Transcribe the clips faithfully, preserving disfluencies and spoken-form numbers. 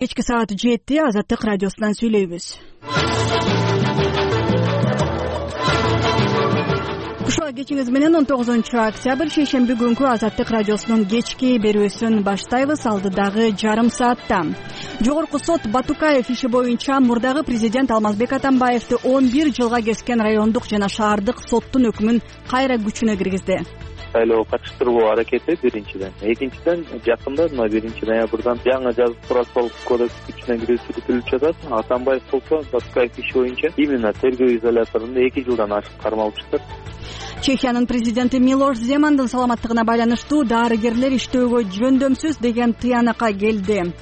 Кечки саат жети Азаттык радиосунан сүйлөйбүз. Ушул кечиңиз менен он тогузунчу октябрь шейшемби күнкү Азаттык радиосунун кечки берүүсүн баштайбыз. Алдыдагы жарым саатта Жогорку сот Батукаев иши боюнча мурдагы президент Алмазбек Атамбаевди он бир жылга кескен райондук жана шаардык соттун өкүмүн кайра күчүнө киргизди. Шайлоо катыштыруу аракети биринчиден. Экинчиден, жакында мына биринчи ноябрдан жаңы жазык процессуалдык кодекс күчүнө кирүү сүрүтүлүп жатат. Атамбаев болсо Батукаев иши боюнча именно тергөө изоляторунда эки жылдан ашык кармалып жатат. Чехиянын президенти Милош Земандын саламаттыгына байланыштуу дарыгерлер иштөөгө жөндөмсүз деген тыянакка келди.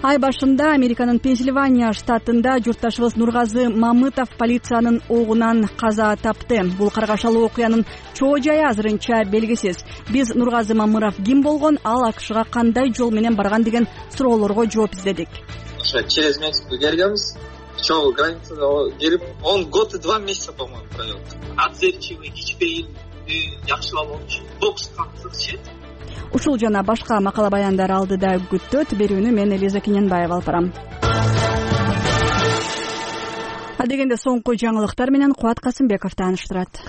Ай башында Американын Пенсильвания штатында журтташыбыз Нургазы Мамытов полициянын огунан каза тапты. Бул каргашалуу окуянын чоо жайы азырынча белгисиз. Биз Нургазы Мамыров ким болгон, ал АКШга кандай жол менен барган деген суроолорго жооп издедик. Ошо через Мексику келгенбиз. Чоо границада келип он год и два месяца, по-моему, провел. Отзывчивый, ичпейин, жакшылап болчу. Бокска кызыкчы. Ушул жана башка макала баяндар алдыда күттөт. Берүүнү мен Элиза Кененбаева алып барам. Адегенде соңку жаңылыктар менен Кубат Касымбеков тааныштырат.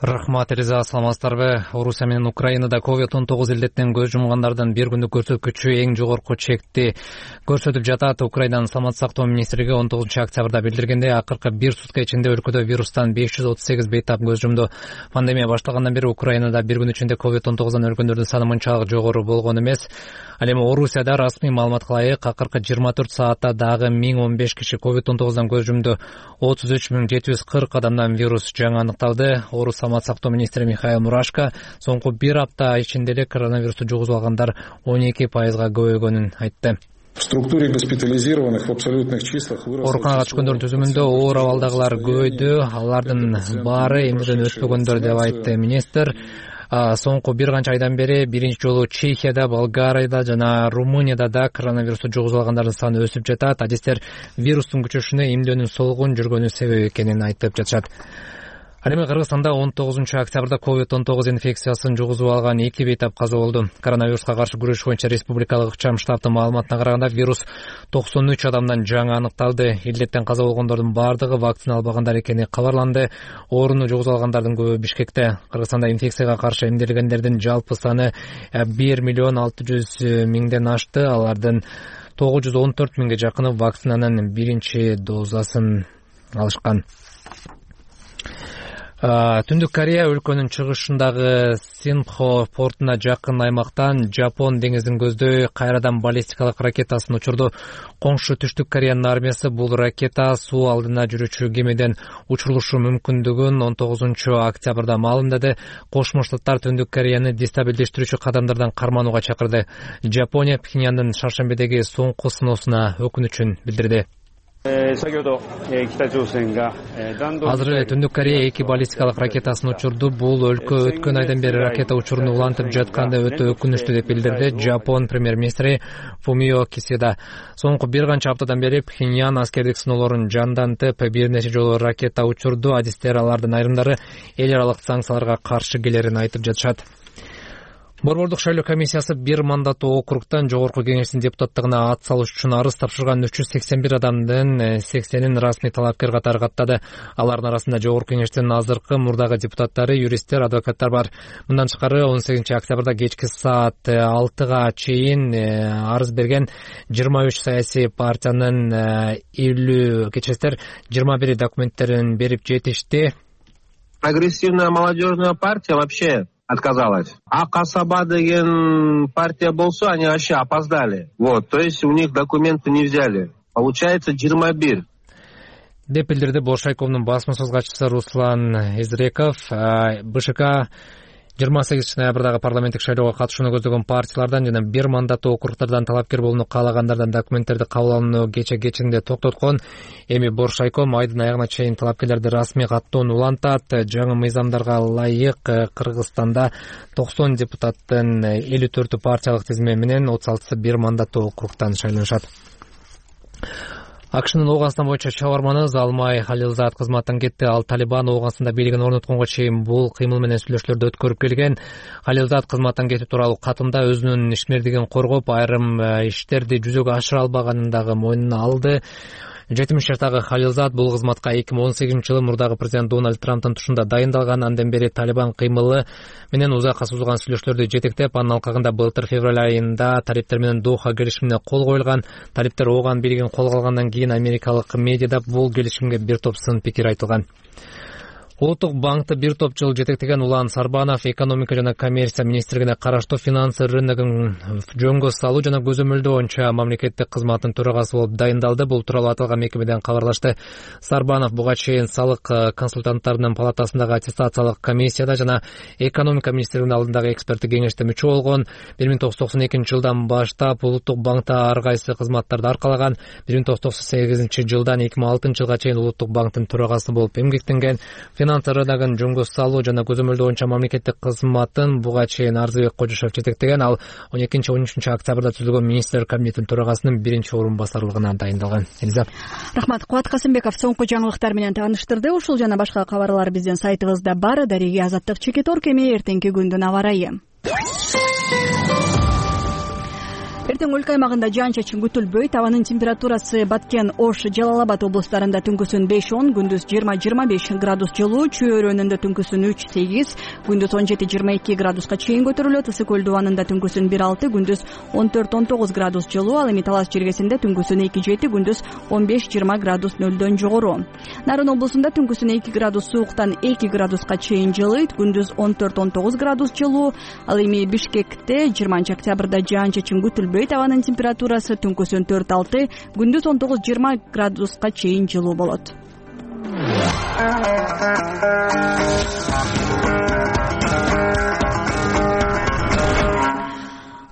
Рахмат, Элиза, саламатсыздарбы? Орусия менен Украинада ковид он тогуз илдеттен көз жумгандардын бир күндүк көрсөткүчү эң жогорку чекти көрсөтүп жатат. Украинанын саламаттык сактоо министрлиги он тогузунчу октябрда билдиргендей, акыркы бир сутка ичинде өлкөдө вирустан беш жүз отуз сегиз бейтап көз жумду. Пандемия башталгандан бери Украинада бир күн ичинде ковид он тогуздан өлгөндөрдүн саны мынчалык жогору болгон эмес. Ал эми Орусияда расмий маалыматка ылайык акыркы жыйырма төрт саатта дагы миң он беш киши ковид он тогуздан көз жумду. отуз үч миң жети жүз кырк адамдан вирус жаңы аныкталды. Орус саламаттык сактоо министри Михаил Мурашко соңку бир апта ичинде эле коронавирусту жугузуп алгандар он эки пайызга көбөйгөнүн айтты. В структуре госпитализированных в абсолютных числах выросло. Ооруканага түшкөндөрдүн түзүмүндө оор абалдагылар көбөйдү. Алардын баары эмнеден өспөгөндөр деп айтты министр. Соңку бир канча айдан бери биринчи жолу Чехияда, Болгарияда жана Румынияда да коронавирусту жугузуп алгандардын саны өсүп жатат. Адистер вирустун күчөшүнө эмдөөнүн солгун жүргөнү себеп экенин айтып жатышат. Ал эми Кыргызстанда он тогузунчу октябрда ковид он тогуз инфекциясын жугузуп алган эки бейтап каза болду. Коронавируска каршы күрөш боюнча республикалык ыкчам штабтын маалыматына караганда вирус токсон үч адамдан жаңы аныкталды. Илдеттен каза болгондордун бардыгы вакцина албагандар экени кабарланды. Ооруну жугузуп алгандардын көбү Бишкекте. Кыргызстанда инфекцияга каршы эмделгендердин жалпы саны бир миллион алты жүз миңден ашты. Алардын тогуз жүз он төрт миңге жакыны вакцинанын биринчи дозасын алышкан. Түндүк Корея өлкөнүн чыгышындагы Синхо портуна жакын аймактан Жапон деңиздин көздөй кайрадан баллистикалык ракетасын учурду. Коңшу Түштүк Кореянын армиясы бул ракета суу алдына жүрүүчү кемеден учурулушу мүмкүндүгүн он тогузунчу октябрда маалымдады. Кошмо Штаттар Түндүк Кореяны дестабилдештирүүчү кадамдардан карманууга чакырды. Жапония Пхеньяндын шаршембедеги соңку сыноосуна өкүнүчүн билдирди. Азыр эле Түндүк Корея эки баллистикалык ракетасын учурду. Бул өлкө өткөн айдан бери ракета учуруну улантып жатканда өтө өкүнүчтүү деп билдирди Жапон премьер-министри Фумио Кисида. Соңку бир канча аптадан бери Пхеньян аскердик сыноолорун жандантып, бир нече жолу ракета учурду. Адистер алардын айрымдары эл аралык санкцияларга каршы келерин айтып жатышат. Борбордук шайлоо комиссиясы бир мандаттуу округтан жогорку кеңештин депутаттыгына ат салыш үчүн арыз тапшырган үч жүз сексен бир адамдын сексенин расмий талапкер катары каттады. Алардын арасында жогорку кеңештин азыркы мурдагы депутаттары, юристтер, адвокаттар бар. Мындан тышкары он сегизинчи октябрда кечки саат алтыга чейин арыз берген жыйырма үч саясий партиянын элүү кечестер жыйырма бир документтерин берип жетишти. Прогрессивная молодежная партия вообще отказалась. А Касаба деген партия болсо, они вообще опоздали. Вот, то есть у них документы не взяли. Получается жыйырма бир. Деп билдирди Боршайковдун басма сөз катчысы Руслан Изреков. БШК жыйырма сегизинчи ноябрдагы парламенттик шайлоого катышууну көздөгөн партиялардан жана бир мандаттуу округтардан талапкер болууну каалагандардан документтерди кабыл алууну кече кечинде токтоткон. Эми Боршайком айдын аягына чейин талапкерлерди расмий каттоону улантат. Жаңы мыйзамдарга ылайык Кыргызстанда токсон депутаттын элүү төртү партиялык тизме менен отуз алтысы бир мандаттуу округтан шайланышат. акшнын Ооганстан боюнча чабарманы Залмай Халилзад кызматтан кетти. Ал Талибан Ооганстанда бийлигин орнотконго чейин бул кыймыл менен сүйлөшүүлөрдү өткөрүп келген. Халилзад кызматтан кетүү тууралуу катында өзүнүн ишмердигин коргоп, айрым иштерди жүзөгө ашыра албаганын дагы мойнуна алды. жетимиш жаштагы Халилзад бул кызматка эки миң он сегизинчи жылы мурдагы президент Дональд Трамптын тушунда дайындалган. Андан бери Талибан кыймылы менен узакка созулган сүйлөшүүлөрдү жетектеп, анын алкагында былтыр февраль айында талиптер менен Доха келишимине кол коюлган. Талиптер Ооган бийлигин колго алгандан кийин америкалык медиада бул келишимге бир топ сын пикир айтылган. Улуттук банкты бир топ жыл жетектеген Улан Сарбанов экономика жана коммерция министрлигине караштуу финанс рыногун жөнгө салуу жана көзөмөлдөө боюнча мамлекеттик кызматтын төрагасы болуп дайындалды. Бул тууралуу аталган мекемеден кабарлашты. Сарбанов буга чейин салык консультанттарынын палатасындагы аттестациялык комиссияда жана экономика министрлигинин алдындагы эксперттик кеңеште мүчө болгон. бир миң тогуз жүз токсон экинчи жылдан баштап улуттук банкта ар кайсы кызматтарды аркалаган. бир миң тогуз жүз токсон сегизинчи жылдан эки миң алтынчы жылга чейин улуттук банктын төрагасы болуп эмгектенген. Финанс рыногун жөнгө салуу жана көзөмөлдөө боюнча мамлекеттик кызматын буга чейин Арзыбек Кожошев жетектеген. Ал он экинчи он үчүнчү октябрда түзүлгөн министрлер кабинетинин төрагасынын биринчи орун басарлыгына дайындалган. Элиза. Рахмат. Кубат Касымбеков соңку жаңылыктар менен тааныштырды. Ушул жана башка кабарлар биздин сайтыбызда бар. Дариги Азаттык Чекитор кеме эртеңки күндүн аба ырайы. Эртең өлкө аймагында жаан-чачын күтүлбөйт. Абанын температурасы Баткен, Ош, Жалал Абад облустарында түнкүсүн беш он, күндүз жыйырма жыйырма беш градус жылуу, Чүй өрөөнүндө түнкүсүн үч сегиз, күндүз он жети жыйырма эки градуска чейин көтөрүлөт. Ысык көл дубанында түнкүсүн бир алты, күндүз он төрт он тогуз градус жылуу, ал эми Талас жергесинде түнкүсүн эки жети, күндүз он беш жыйырма градус нөлдөн жогору. Нарын облусунда түнкүсүн эки градус сууктан эки градуска чейин жылыйт, күндүз он төрт он тогуз градус жылуу, ал эми Бишкекте жыйырманчы октябрда жаан-чачын күтүлбөйт. Абанын температурасы түнкүсүн төрт алты, күндүз он тогуз жыйырма градуска чейин жылуу болот.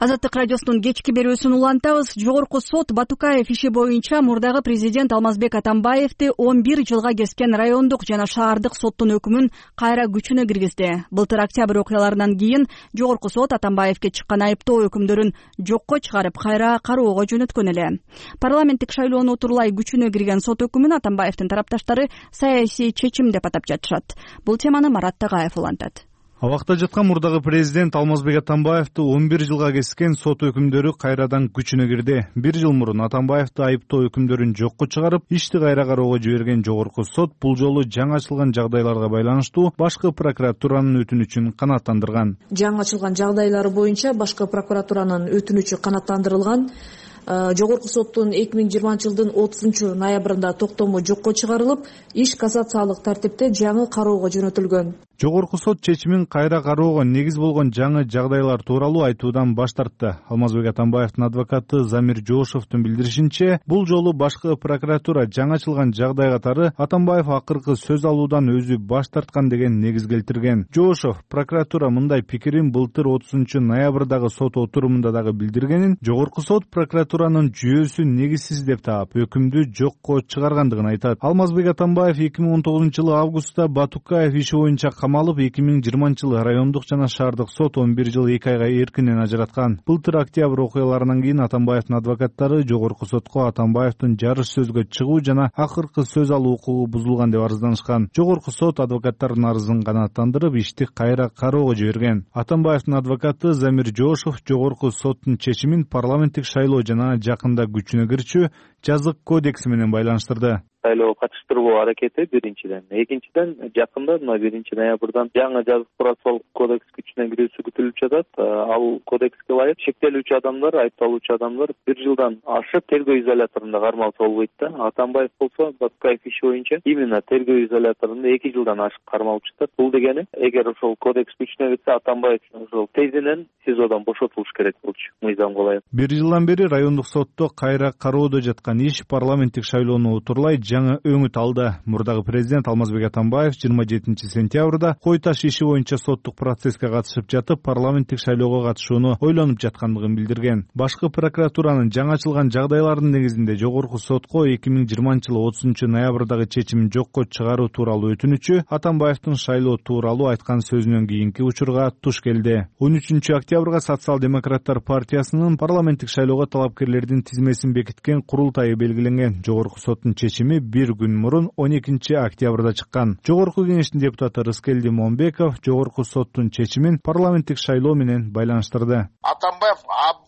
Азаттык радиосунун кечки берүүсүн улантабыз. Жогорку сот Батукаев иши боюнча мурдагы президент Алмазбек Атамбаевди он бир жылга кескен райондук жана шаардык соттун өкүмүн кайра күчүнө киргизди. Былтыр октябрь окуяларынан кийин жогорку сот Атамбаевге чыккан айыптоо өкүмдөрүн жокко чыгарып, кайра кароого жөнөткөн эле. Парламенттик шайлоону утурлай күчүнө кирген сот өкүмүн Атамбаевдин тарапташтары саясий чечим деп атап жатышат. Бул теманы Марат Тагаев улантат. Абакта жаткан мурдагы президент Алмазбек Атамбаевди он бир жылга кескен сот өкүмдөрү кайрадан күчүнө кирди. Бир жыл мурун Атамбаевди айыптоо өкүмдөрүн жокко чыгарып, ишти кайра кароого жиберген жогорку сот бул жолу жаңы ачылган жагдайларга байланыштуу башкы прокуратуранын өтүнүчүн канааттандырган. Жаңы ачылган жагдайлар боюнча башкы прокуратуранын өтүнүчү канааттандырылган. Жогорку соттун эки миң жыйырманчы жылдын отузунчу ноябрында токтому жокко чыгарылып, иш кассациялык тартипте жаңы кароого жөнөтүлгөн. Жогорку сот чечимин кайра кароого негиз болгон жаңы жагдайлар тууралуу айтуудан баш тартты. Алмазбек Атамбаевдин адвокаты Замир Жоошевдун билдиришинче, бул жолу башкы прокуратура жаңы ачылган жагдай катары Атамбаев акыркы сөз алуудан өзү баш тарткан деген негиз келтирген. Жоошев прокуратура мындай пикирин былтыр отузунчу ноябрдагы сот отурумунда дагы билдиргенин, жогорку сот прокуратуранын жүйөсү негизсиз деп таап, өкүмдү жокко чыгаргандыгын айтат. Алмазбек Атамбаев эки миң он тогузунчу жылы августта Батукаев иши боюнча камалып, эки миң жыйырманчы жылы райондук жана шаардык сот он бир жыл эки айга эркинен ажыраткан. Былтыр октябрь окуяларынан кийин Атамбаевдин адвокаттары жогорку сотко Атамбаевдин жарыш сөзгө чыгуу жана акыркы сөз алуу укугу бузулган деп арызданышкан. Жогорку сот адвокаттардын арызын канааттандырып, ишти кайра кароого жиберген. Атамбаевдин адвокаты Замир Жоошев жогорку соттун чечимин парламенттик шайлоо жана жакында күчүнө кирчү жазык кодекси менен байланыштырды. Шайлоого катыштыруу аракети биринчиден, экинчиден жакында мына биринчи ноябрдан жаңы жазык процессуалдык кодекс күчүнө кирүүсү күтүлүп жатат. Ал кодекске ылайык шектелүүчү адамдар, айыпталуучу адамдар бир жылдан ашып тергөө изоляторунда кармалса болбойт да. Атамбаев болсо Батукаев иши боюнча именно тергөө изоляторунда эки жылдан ашык кармалып жатат. Бул дегени, эгер ошол кодекс күчүнө кирсе, Атамбаев ошол тезинен СИЗОдон бошотулуш керек болчу. Мыйзамга ылайык. Бир жылдан бери райондук сотто кайра кароодо жаткан иш парламенттик шайлоону утурлай жаңы өңүт алды. Мурдагы президент Алмазбек Атамбаев жыйырма жетинчи сентябрда Кой Таш иши боюнча соттук процесске катышып жатып, парламенттик шайлоого катышууну ойлонуп жаткандыгын билдирген. Башкы прокуратуранын жаңы ачылган жагдайлардын негизинде жогорку сотко эки миң жыйырманчы жылы отузунчу ноябрдагы чечимин жокко чыгаруу тууралуу өтүнүчү Атамбаевдин шайлоо тууралуу айткан сөзүнөн кийинки учурга туш келди. он үчүнчү октябрга Социал-демократтар партиясынын парламенттик шайлоого талапкерлердин тизмесин бекиткен курултайы белгиленген. Жогорку соттун чечими бир күн мурун он экинчи октябрда чыккан. Жогорку кеңештин депутаты Рыскелди Момбеков жогорку соттун чечимин парламенттик шайлоо менен байланыштырды. Атамбаев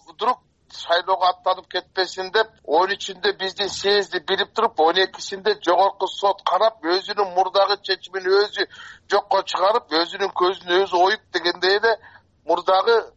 вдруг шайлоого аттанып кетпесин деп он үчүндө биздин съезди билип туруп, он экисинде жогорку сот карап, өзүнүн мурдагы чечимин өзү жокко чыгарып, өзүнүн көзүн өзү оюп дегендей эле мурдагы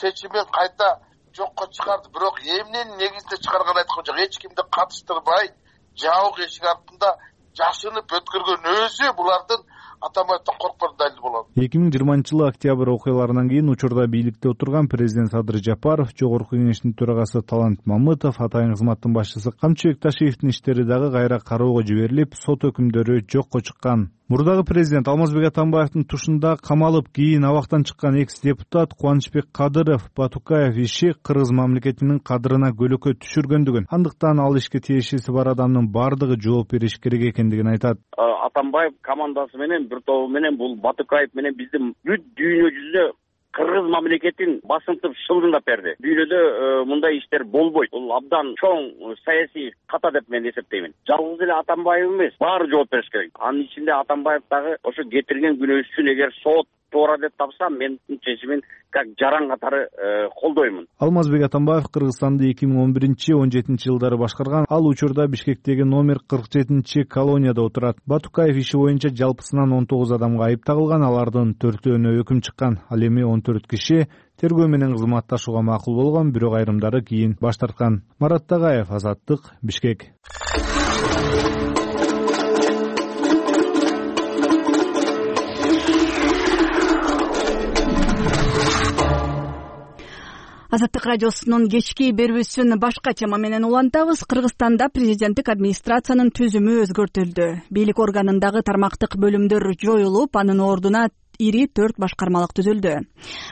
чечимин кайта жокко чыгарды. Бирок эмненин негизинде чыгарганын айткан жок. Эч кимди катыштырбай, жабык эшик артында жашынып өткөргөн өзү булардын Атамбаевден корккон далил болот. эки миң жыйырманчы жылы октябрь окуяларынан кийин учурда бийликте отурган президент Садыр Жапаров, жогорку кеңештин төрагасы Талант Мамытов, атайын кызматтын башчысы Камчыбек Ташиевдин иштери дагы кайра кароого жиберилип, сот өкүмдөрү жокко чыккан. Мурдагы президент Алмазбек Атамбаевдин тушунда камалып, кийин абактан чыккан экс-депутат Кубанычбек Кадыров Батукаев иши кыргыз мамлекетинин кадырына көлөкө түшүргөндүгүн, андыктан ал ишке тиешеси бар адамдын бардыгы жооп бериш керек экендигин айтат. Атамбаев командасы менен, бир тобу менен, бул Батукаев менен биздин бүт дүйнө жүзүнө кыргыз мамлекетин басынтып шылдыңдап берди. Дүйнөдө мындай иштер болбойт. Бул абдан чоң саясий ката деп мен эсептеймин. Жалгыз эле Атамбаев эмес, баары жооп бериш керек. Анын ичинде Атамбаев дагы ошо кетирген күнөөсүн эгер сот туура деп тапса, мен чечимин как жаран катары колдоймун. Алмазбек Атамбаев Кыргызстанды эки миң он биринчи — он жетинчи жылдары башкарган. Ал учурда Бишкектеги номер кырк жетинчи колонияда отурат. Батукаев иши боюнча жалпысынан он тогуз адамга айып тагылган, алардын төртөөнө өкүм чыккан. Ал эми он төрт киши тергөө менен кызматташууга макул болгон, бирок айрымдары кийин баш тарткан. Марат Тагаев, Азаттык, Бишкек. Азаттык радиосунун кечки берүүсүн башка тема менен улантабыз. Кыргызстанда президенттик администрациянын түзүмү өзгөртүлдү. Бийлик органындагы тармактык бөлүмдөр жоюлуп, анын ордуна ири төрт башкармалык түзүлдү.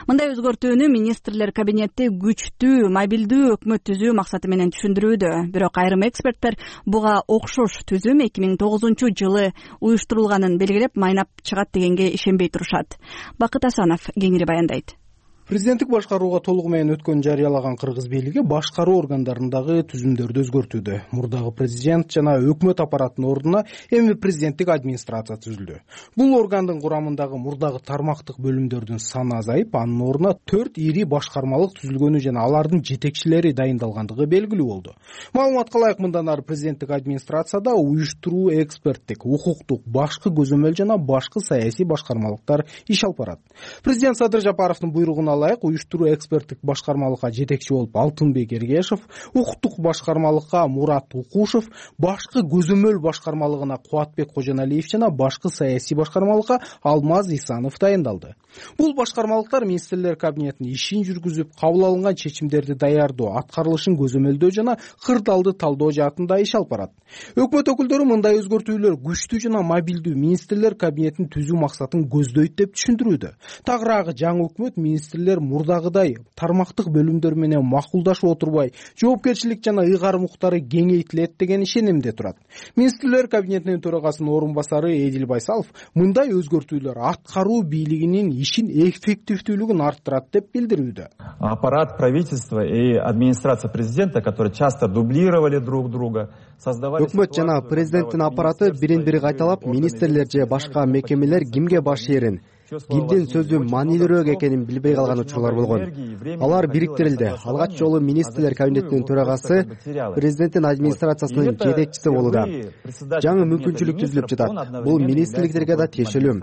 Мындай өзгөртүүнү министрлер кабинети күчтүү, мобилдүү өкмөт түзүү максаты менен түшүндүрүүдө. Бирок айрым эксперттер буга окшош түзүм эки миң тогузунчу жылы уюштурулганын белгилеп, майнап чыгат дегенге ишенбей турушат. Бакыт Асанов кеңири баяндайт. Президенттик башкарууга толугу менен өткөн жарыялаган кыргыз бийлиги башкаруу органдарындагы түзүмдөрдү өзгөртүүдө. Мурдагы президент жана өкмөт аппаратынын ордуна эми президенттик администрация түзүлдү. Бул органдын курамындагы мурдагы тармактык бөлүмдөрдүн саны азайып, анын ордуна төрт ири башкармалык түзүлгөнү жана алардын жетекчилери дайындалгандыгы белгилүү болду. Маалыматка ылайык, мындан ары президенттик администрацияда уюштуруу, эксперттик, укуктук, башкы көзөмөл жана башкы саясий башкармалыктар иш алып барат. Президент Садыр Жапаровдун буйругуна ылайык уюштуруу эксперттик башкармалыкка жетекчи болуп Алтынбек Эргешев, укуктук башкармалыкка Мурат Укушев, башкы көзөмөл башкармалыгына Кубатбек Кожоналиев жана башкы саясий башкармалыкка Алмаз Исанов дайындалды. Бул башкармалыктар министрлер кабинетинин ишин жүргүзүп, кабыл алынган чечимдерди даярдоо, аткарылышын көзөмөлдөө жана кырдаалды талдоо жаатында иш алып барат. Өкмөт өкүлдөрү мындай өзгөртүүлөр күчтүү жана мобилдүү министрлер кабинетин түзүү максатын көздөйт деп түшүндүрүүдө. Тагыраагы жаңы өкмөт министрлер мурдагыдай тармактык бөлүмдөр менен макулдашып отурбай, жоопкерчилик жана ыйгарым укуктары кеңейтилет деген ишенимде турат. Министрлер кабинетинин төрагасынын орун басары Эдил Байсалов мындай өзгөртүүлөр аткаруу бийлигинин ишин эффективдүүлүгүн арттырат деп билдирүүдө. Аппарат правительства и администрация президента, которые часто дублировали друг друга, создавали... Өкмөт жана президенттин аппараты бирин-бири кайталап, министрлер же башка мекемелер кимге баш ээрин, кимдин сөзү маанилүүрөөк экенин билбей калган учурлар болгон. Алар бириктирилди. Алгач жолу министрлер кабинетинин төрагасы президенттин администрациясынын жетекчиси болууда. Жаңы мүмкүнчүлүк түзүлүп жатат. Бул министрликтерге да тиешелүү.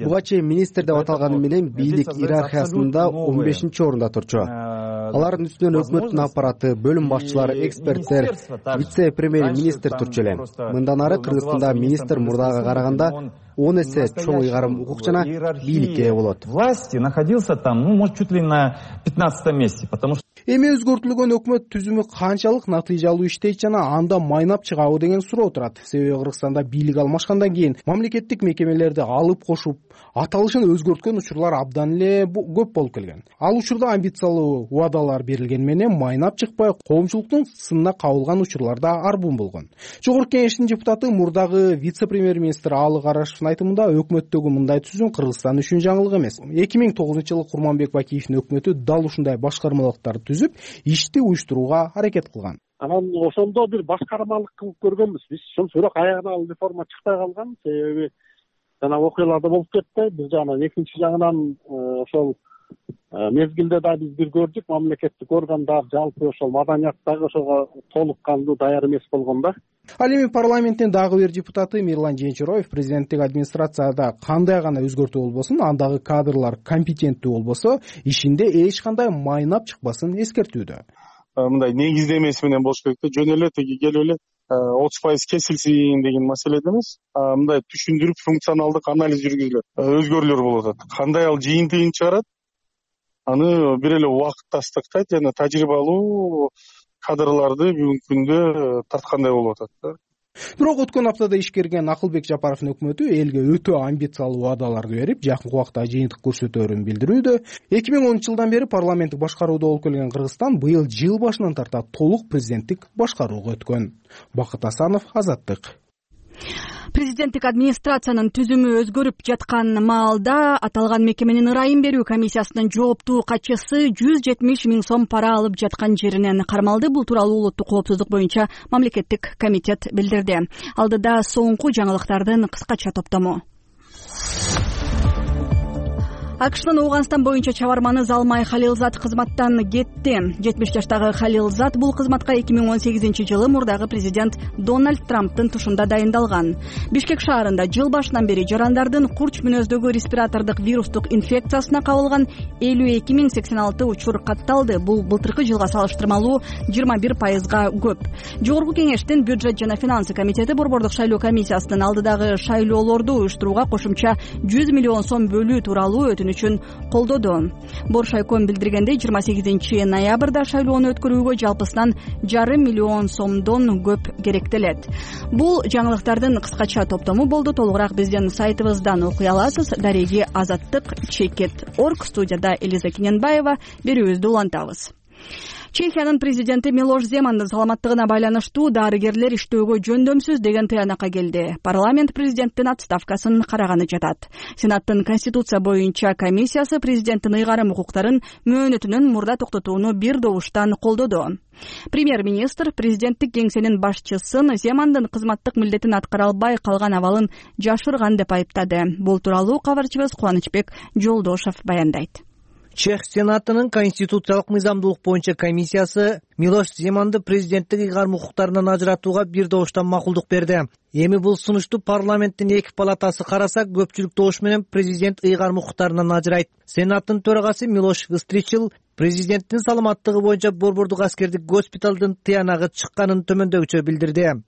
Буга чейин министр деп аталганы менен бийлик иерархиясында он бешинчи орунда турчу. Алардын үстүнөн өкмөттүн аппараты, бөлүм башчылары, эксперттер, вице-премьер министр турчу эле. Мындан ары Кыргызстанда министр мурдага караганда он эсе чоң ыйгарым укук жана бийликке ээ болот. Власти находился там, ну, может, чуть ли на пятнадцатом месте, потому что эми өзгөртүлгөн өкмөт түзүмү канчалык натыйжалуу иштейт жана анда майнап чыгабы деген суроо турат. Себеби Кыргызстанда бийлик алмашкандан кийин мамлекеттик мекемелерди алып кошуп, аталышын өзгөрткөн учурлар абдан эле көп болуп келген. Ал учурда амбициялуу убадалар берилген менен майнап чыкпай, коомчулуктун сынына кабылган учурлар да арбун болгон. Жогорку кеңештин депутаты, мурдагы вице-премьер-министр Аалы Карашевдин айтымында, өкмөттөгү мындай түзүм Кыргызстан үчүн жаңылык эмес. эки миң тогузунчу жылы Курманбек Бакиевдин өкмөтү дал ушундай башкармалыктарды түзүп, ишти уюштурууга аракет кылган. Анан ошондо бир башкармалык кылып көргөнбүз биз. Бирок аягына ал реформа чыкпай калган. Себеби жана окуялар да болуп кетти. Бир жагынан, экинчи жагынан ошол мезгилде да биз бир көрдүк, мамлекеттик органдар жалпы ошол маданияттагы ошого толук кандуу даяр эмес болгон да. Ал эми парламенттин дагы бир депутаты Мирлан Жээнчироев президенттик администрацияда кандай гана өзгөртүү болбосун, андагы кадрлар компетенттүү болбосо, ишинде эч кандай майнап чыкпасын эскертүүдө. Мындай негиздемеси менен болуш керек да, жөн эле тиги келип эле отуз пайыз кесилсин деген маселеде эмес, мындай түшүндүрүп функционалдык анализ жүргүзүлөт, өзгөрүүлөр болуп атат. Кандай ал жыйынтыгын чыгарат, аны бир эле убакыт тастыктайт жана тажрыйбалуу кадрларды бүгүнкү күндө тарткандай болуп атат да. Бирок өткөн аптада ишкерген Акылбек Жапаровдун өкмөтү элге өтө амбициялуу убадаларды берип, жакынкы убакта жыйынтык көрсөтөөрүн билдирүүдө. эки миң онунчу жылдан бери парламенттик башкаруудо болуп келген Кыргызстан быйыл жыл башынан тарта толук президенттик башкарууга өткөн. Бакыт Асанов, Азаттык. Президенттик администрациянын түзүмү өзгөрүп жаткан маалда аталган мекеменин ырайым берүү комиссиясынын жооптуу катчысы жүз жетимиш миң сом пара алып жаткан жеринен кармалды. Бул тууралуу улуттук коопсуздук боюнча мамлекеттик комитет билдирди. Алдыда соңку жаңылыктардын кыскача топтому. АКШнын Ооганстан боюнча чабарманы Залмай Халилзат кызматтан кетти. жетимиш жаштагы Халилзат бул кызматка эки миң он сегизинчи жылы мурдагы президент Дональд Трамптын тушунда дайындалган. Бишкек шаарында жыл башынан бери жарандардын курч мүнөздөгү респиратордук вирустук инфекциясына кабылган элүү эки миң сексен алты учур катталды. Бул былтыркы жылга салыштырмалуу жыйырма бир пайызга көп. Жогорку кеңештин бюджет жана финансы комитети борбордук шайлоо комиссиясынын алдыдагы шайлоолорду уюштурууга кошумча жүз миллион сом бөлүү тууралуу өтүнүч үчүн колдоду. Боршайком билдиргендей, жыйырма сегизинчи ноябрда шайлоону өткөрүүгө жалпысынан жарым миллион сомдон көп керектелет. Бул жаңылыктардын кыскача топтому болду. Толугураак биздин сайтыбыздан окуй аласыз. Дареги Азаттык чекет орг. Студияда Элиза Кененбаева. Берүүбүздү улантабыз. Чехиянын президенти Милош Земандын саламаттыгына байланыштуу дарыгерлер иштөөгө жөндөмсүз деген тыянакка келди. Парламент президенттин отставкасын караганы жатат. Сенаттын Конституция боюнча комиссиясы президенттин ыйгарым укуктарын мөөнөтүнөн мурда токтотууну бир добуштан колдоду. Премьер-министр президенттик кеңсенин башчысын Земандын кызматтык милдетин аткара албай калган абалын жашырган деп айыптады. Бул тууралуу кабарчыбыз Кубанычбек Жолдошов баяндайт. Чех Сенатынын конституциялык мыйзамдуулук боюнча комиссиясы Милош Земанды президенттик ыйгарым укуктарынан ажыратууга бир добуштан макулдук берди. Эми бул сунушту парламенттин эки палатасы караса, көпчүлүк добуш менен президент ыйгарым укуктарынан ажырайт. Сенаттын төрагасы Милош Вистричил президенттин саламаттыгы боюнча борбордук аскердик госпиталдын тыянагы чыкканын төмөндөгүчө билдирди.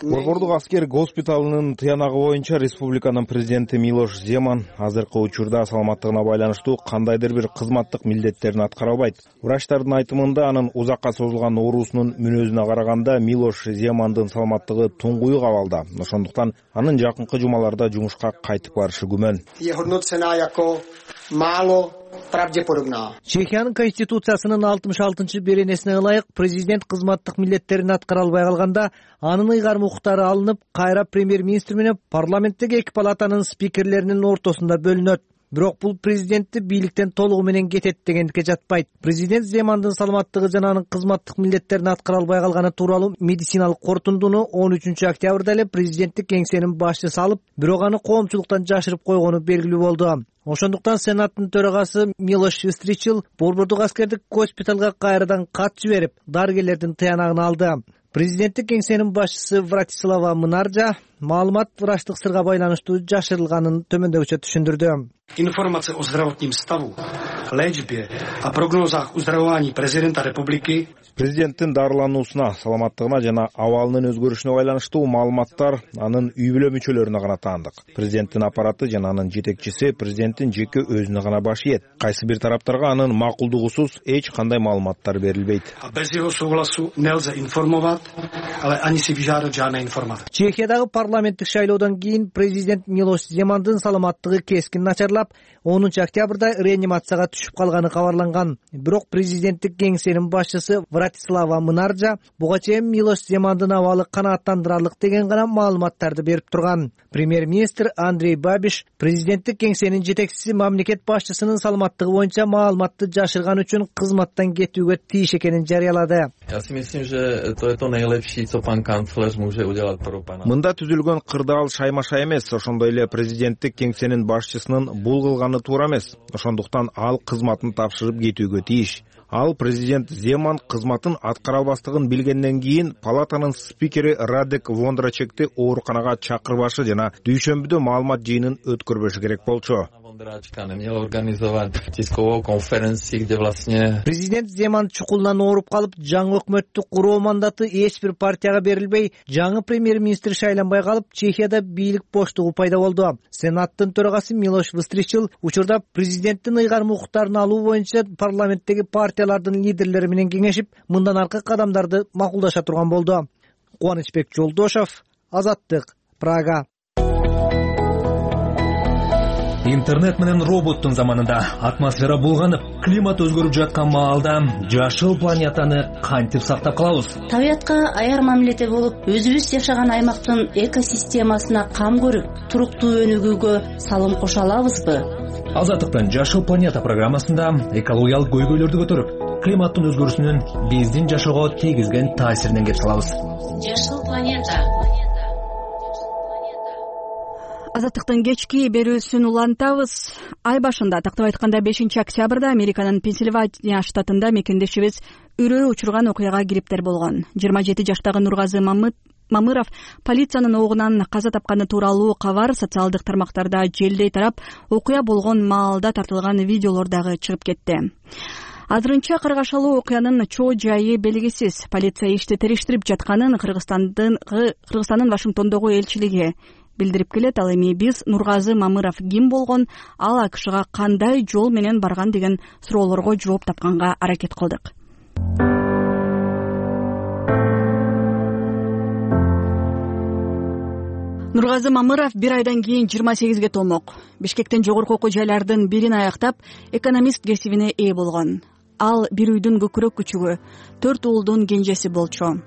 Борбордук аскер госпиталынын тыянагы боюнча республиканын президенти Милош Земан азыркы учурда саламаттыгына байланыштуу кандайдыр бир кызматтык милдеттерин аткара албайт. Врачтардын айтымында, анын узакка созулган оорусунун мүнөзүнө караганда Милош Земандын саламаттыгы туңгуюк абалда. Ошондуктан анын жакынкы жумаларда жумушка кайтып барышы күмөн. Чехиянын конституциясынын алтымыш алтынчы беренесине ылайык президент кызматтык милдеттерин аткара албай калганда анын ыйгарым укуктары алынып, кайра премьер-министр менен парламенттеги эки палатанын спикерлеринин ортосунда бөлүнөт. Бирок бул президентти бийликтен толугу менен кетет дегендикке жатпайт. Президент Земандын саламаттыгы жана анын кызматтык милдеттерин аткара албай калганы тууралуу медициналык корутундуну он үчүнчү октябрда эле президенттик кеңсенин башчысы алып, бирок аны коомчулуктан жашырып койгону белгилүү болду. Ошондуктан Сенаттын төрагасы Милош Вистричил борбордук аскердик госпиталга кайрадан кат жиберип, дарыгерлердин тыянагын алды. Президенттик кеңсенин башчысы Вратислава Мынаржа маалымат врачтык сырга байланыштуу жашырылганын төмөндөгүчө түшүндүрдү. Информация о здравотном ставу лечбе, о прогнозах выздоровления президента республики. Президенттин дарылануусуна, саламаттыгына жана абалынын өзгөрүшүнө байланыштуу маалыматтар анын үй бүлө мүчөлөрүнө гана таандык. Президенттин аппараты жана анын жетекчиси президенттин жеке өзүнө гана баш ийет. Кайсы бир тараптарга анын макулдугусуз эч кандай маалыматтар берилбейт. Без его согласу нельзя информовать, але они се виждают жана информация. Чехиядагы парламенттик шайлоодон кийин президент Милош Земандын саламаттыгы кескин начарлап, онунчу октябрда реанимацияга түшүп калганы кабарланган. Бирок президенттик кеңсенин башчысы Вратислава Мынаржа буга чейин Милош Земандын абалы канааттандырарлык деген гана маалыматтарды берип турган. Премьер-министр Андрей Бабиш президенттик кеңсенин жетекчиси мамлекет башчысынын саламаттыгы боюнча маалыматты жашырган үчүн кызматтан кетүүгө тийиш экенин жарыялады. Мында түзүлгөн кырдаал шаймаша эмес, ошондой эле президенттик кеңсенин башчысынын бул кылганы туура эмес. Ошондуктан ал кызматын тапшырып кетүүгө тийиш. Ал президент Земан кызматын аткара албастыгын билгенден кийин палатанын спикери Радек Вондрачекти ооруканага чакырбашы жана дүйшөмбүдө маалымат жыйынын өткөрбөшү керек болчу. Президент Земан чукулунан ооруп калып, жаңы өкмөттү куруу мандаты эч бир партияга берилбей, жаңы премьер-министр шайланбай калып, Чехияда бийлик боштугу пайда болду. Сенаттын төрагасы Милош Выстричил учурда президенттин ыйгарым укуктарын алуу боюнча парламенттеги партиялардын лидерлери менен кеңешип, мындан аркы кадамдарды макулдаша турган болду. Кубанычбек Жолдошов, Азаттык, Прага. Интернет менен роботтун заманында атмосфера булганып, климат өзгөрүп жаткан маалда жашыл планетаны кантип сактап калабыз? Табиятка аяр мамиледе болуп, өзүбүз жашаган аймактын экосистемасына кам көрүп, туруктуу өнүгүүгө салым кошо алабызбы? Азаттыктын Жашыл планета программасында экологиялык көйгөйлөрдү көтөрүп, климаттын өзгөрүшүнүн биздин жашоого тийгизген таасиринен кеп салабыз. Жашыл планета. Азаттыктын кечки берүүсүн улантабыз. Ай башында, тактап айтканда бешинчи октябрда Американын Пенсильвания штатында мекендешибиз үрөө учурган окуяга кириптер болгон. жыйырма жети жаштагы Нургазы Мамыров полициянын оогунан каза тапканы тууралуу кабар социалдык тармактарда желдей тарап, окуя болгон маалда тартылган видеолор дагы чыгып кетти. Азырынча каргашалуу окуянын чоо жайы белгисиз. Полиция ишти териштирип жатканын Кыргызстандын Кыргызстандын Вашингтондогу элчилиги билдирип келет. Ал эми биз Нургазы Мамыров ким болгон, ал АКШга кандай жол менен барган деген суроолорго жооп тапканга аракет кылдык. Нургазы Мамыров бир айдан кийин жыйырма сегизге толмок. Бишкектен жогорку окуу жайлардын бирин аяктап, экономист кесибине ээ болгон. Ал бир үйдүн көкүрөк күчүгү, төрт уулдун кенжеси болчу.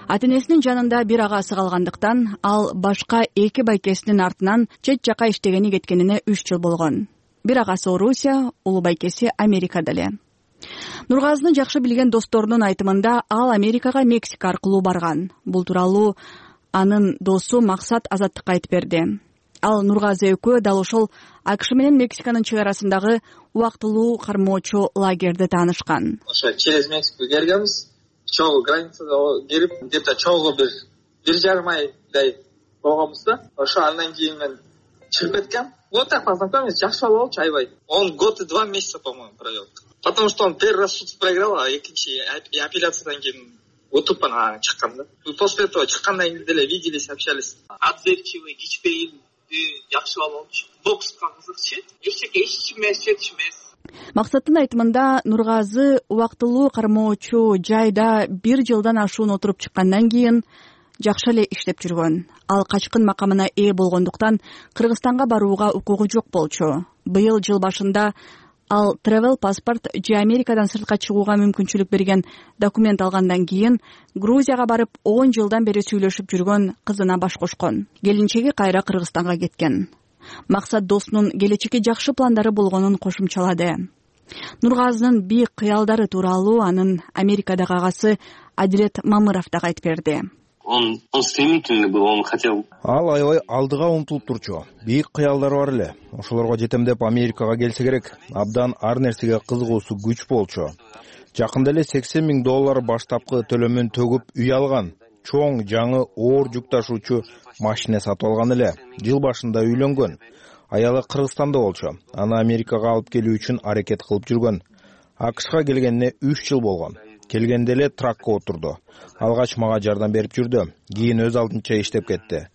Ата-энесинин жанында бир агасы калгандыктан, ал башка эки байкесинин артынан чет жака иштегени кеткенине үч жыл болгон. Бир агасы Орусия, улуу байкеси Америкада эле. Нургазыны жакшы билген досторунун айтымында, ал Америкага Мексика аркылуу барган. Бул тууралуу анын досу Максат Азаттыкка айтып берди. Ал Нургазы экөө дал ошол АКШ менен Мексиканын чек арасындагы убактылуу кармоочу лагерде таанышкан. Ошо через Мексику келгенбиз. Чогуу границада келип, где-то чогуу бир бир жарым айдай болгонбуз да. Ошо андан кийин мен чыгып кеткем. Вот так познакомились, жакшы бала болчу, аябай. Он год и два месяца, по-моему, провел. Потому что он первый раз суд проиграл, а экинчи апелляциядан кийин утуп анан чыккан да. После этого чыккандан кийин деле виделись, общались. Отзывчивый, кичпейил, жакшы бала болчу. Бокска кызыкчу. Эчтеке эч эмес, эч эмес. Максаттын айтымында, Нургазы убактылуу кармоочу жайда бир жылдан ашуун отуруп чыккандан кийин жакшы эле иштеп жүргөн. Ал качкын макамына ээ болгондуктан Кыргызстанга барууга укугу жок болчу. Быйыл жыл башында ал travel паспорт же Америкадан сыртка чыгууга мүмкүнчүлүк берген документ алгандан кийин Грузияга барып он жылдан бери сүйлөшүп жүргөн кызына баш кошкон. Келинчеги кайра Кыргызстанга кеткен. Максат досунун келечекке жакшы пландары болгонун кошумчалады. Нургазынын бийик кыялдары тууралуу анын Америкадагы агасы Адилет Мамыров дагы айтып берди. Он, он стремительный был, он хотел. Ал аябай алдыга умтулуп турчу. Бийик кыялдары бар эле. Ошолорго жетем деп Америкага келсе керек. Абдан ар нерсеге кызыгуусу күч болчу. Жакында эле сексен миң доллар баштапкы төлөмүн төгүп үй алган. Чоң жаңы оор жүк ташуучу машина сатып алган эле. Жыл башында үйлөнгөн. Аялы Кыргызстанда болчу. Аны Америкага алып келүү үчүн аракет кылып жүргөн. АКШга келгенине үч жыл болгон. Келгенде эле тракка отурду. Алгач мага жардам берип жүрдү. Кийин өз алдынча иштеп кетти.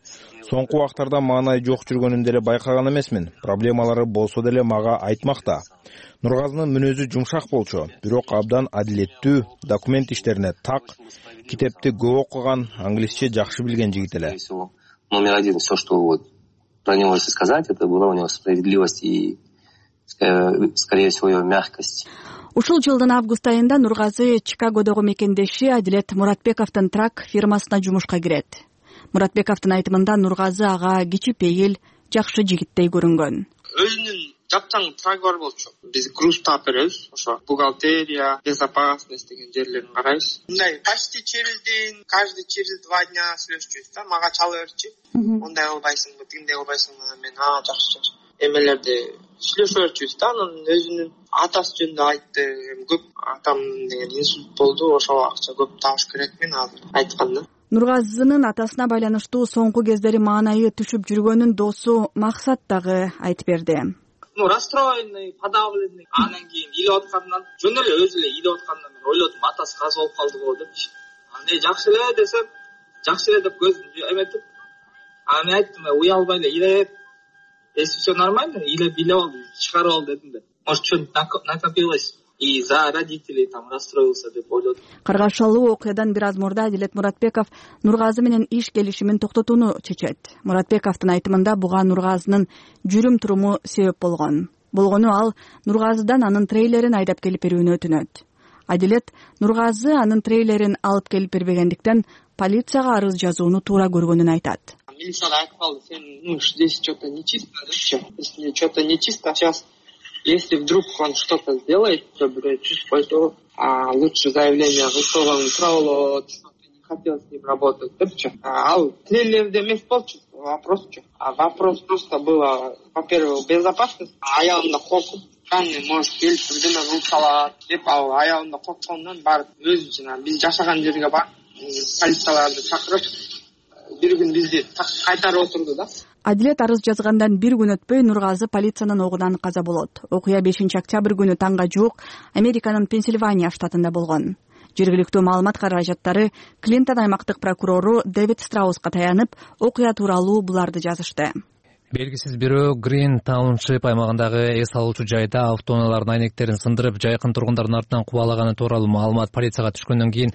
Соңку убактарда маанай жок жүргөнүн деле байкаган эмесмин. Проблемалары болсо деле мага айтмакта. Нургазынын мүнөзү жумшак болчу, бирок абдан адилеттүү, документ иштерине так, китепти көп окуган, англисче жакшы билген жигит эле. Номер один, все, что вот про него если сказать, это была у него справедливость и, скорее всего, его мягкость. Ушул жылдын август айында Нургазы Чикагодогу мекендеши Адилет Муратбековдун трак фирмасына жумушка кирет. Муратбековдун айтымында Нургазы ага кичипейил, жакшы жигиттей көрүнгөн. Өзүнүн жапчаң трагы бар болчу. Биз груз таап беребиз. Ошо бухгалтерия, безопасность деген жерлерин карайбыз. Мындай почти через день, каждый через два дня сүйлөшчүбүз да. Мага чала берчи. Мындай кылбайсыңбы, тигиндей кылбайсыңбы? Мен а жакшы жакшы. Эмелерди сүйлөшө берчүбүз да. Анан өзүнүн атасы жөнүндө айтты. Көп атам деген инсульт болду. Ошого акча көп табыш керек мен азыр айтканда. Нургазынын атасына байланыштуу соңку кездери маанайы түшүп жүргөнүн досу Максат дагы айтып берди. Ну, расстроенный, подавленный. Анан кийин илип аткандан, жөн эле өзү эле илип аткандан мен ойлодум, атасы каза болуп калдыбы депчи. Аны жакшы эле десем, жакшы эле деп көзүмдү эметип, аны айттым, уялбай эле илеп, если все нормально, илеп илеп ал, чыгарып ал дедим да. Может, что-нибудь накопилось. И за родителей там расстроился деп ойлодум. Каргашалуу окуядан бир аз мурда Адилет Муратбеков Нургазы менен иш келишимин токтотууну чечет. Муратбековдун айтымында буга Нургазынын жүрүм туруму себеп болгон. Болгону ал Нургазыдан анын трейлерин айдап келип берүүнү өтүнөт. Адилет Нургазы анын трейлерин алып келип бербегендиктен полицияга арыз жазууну туура көргөнүн айтат. Милиция айтып калды, сен ну здесь что-то нечисто, если что-то нечисто, сейчас если вдруг он что-то сделает, то то а лучше заявление высылган тууралуу, что-то не хотел с ним работать, депчи. Ал трейлерде эмес болчу, вопрос чу. А вопрос просто было, во-первых, безопасность, аялымда коркуп, кандай может келип бирдеме кылып салат деп, ал аялымда корккондон барып өзү жана биз жашаган жерге барып полицияларды чакырып бир күн бизди кайтарып отурду да. Адилет арыз жазгандан бир күн өтпөй Нургазы полициянын огунан каза болот. Окуя бешинчи октябрь күнү таңга жуук Американын Пенсильвания штатында болгон. Жергиликтүү маалымат каражаттары Клинтон аймактык прокурору Дэвид Страуска таянып, окуя тууралуу буларды жазышты. Белгисиз бирөө Грин Тауншип аймагындагы эс алуучу жайда автоунаалардын айнектерин сындырып, жайкын тургундардын артынан кубалаганы тууралуу маалымат полицияга түшкөндөн кийин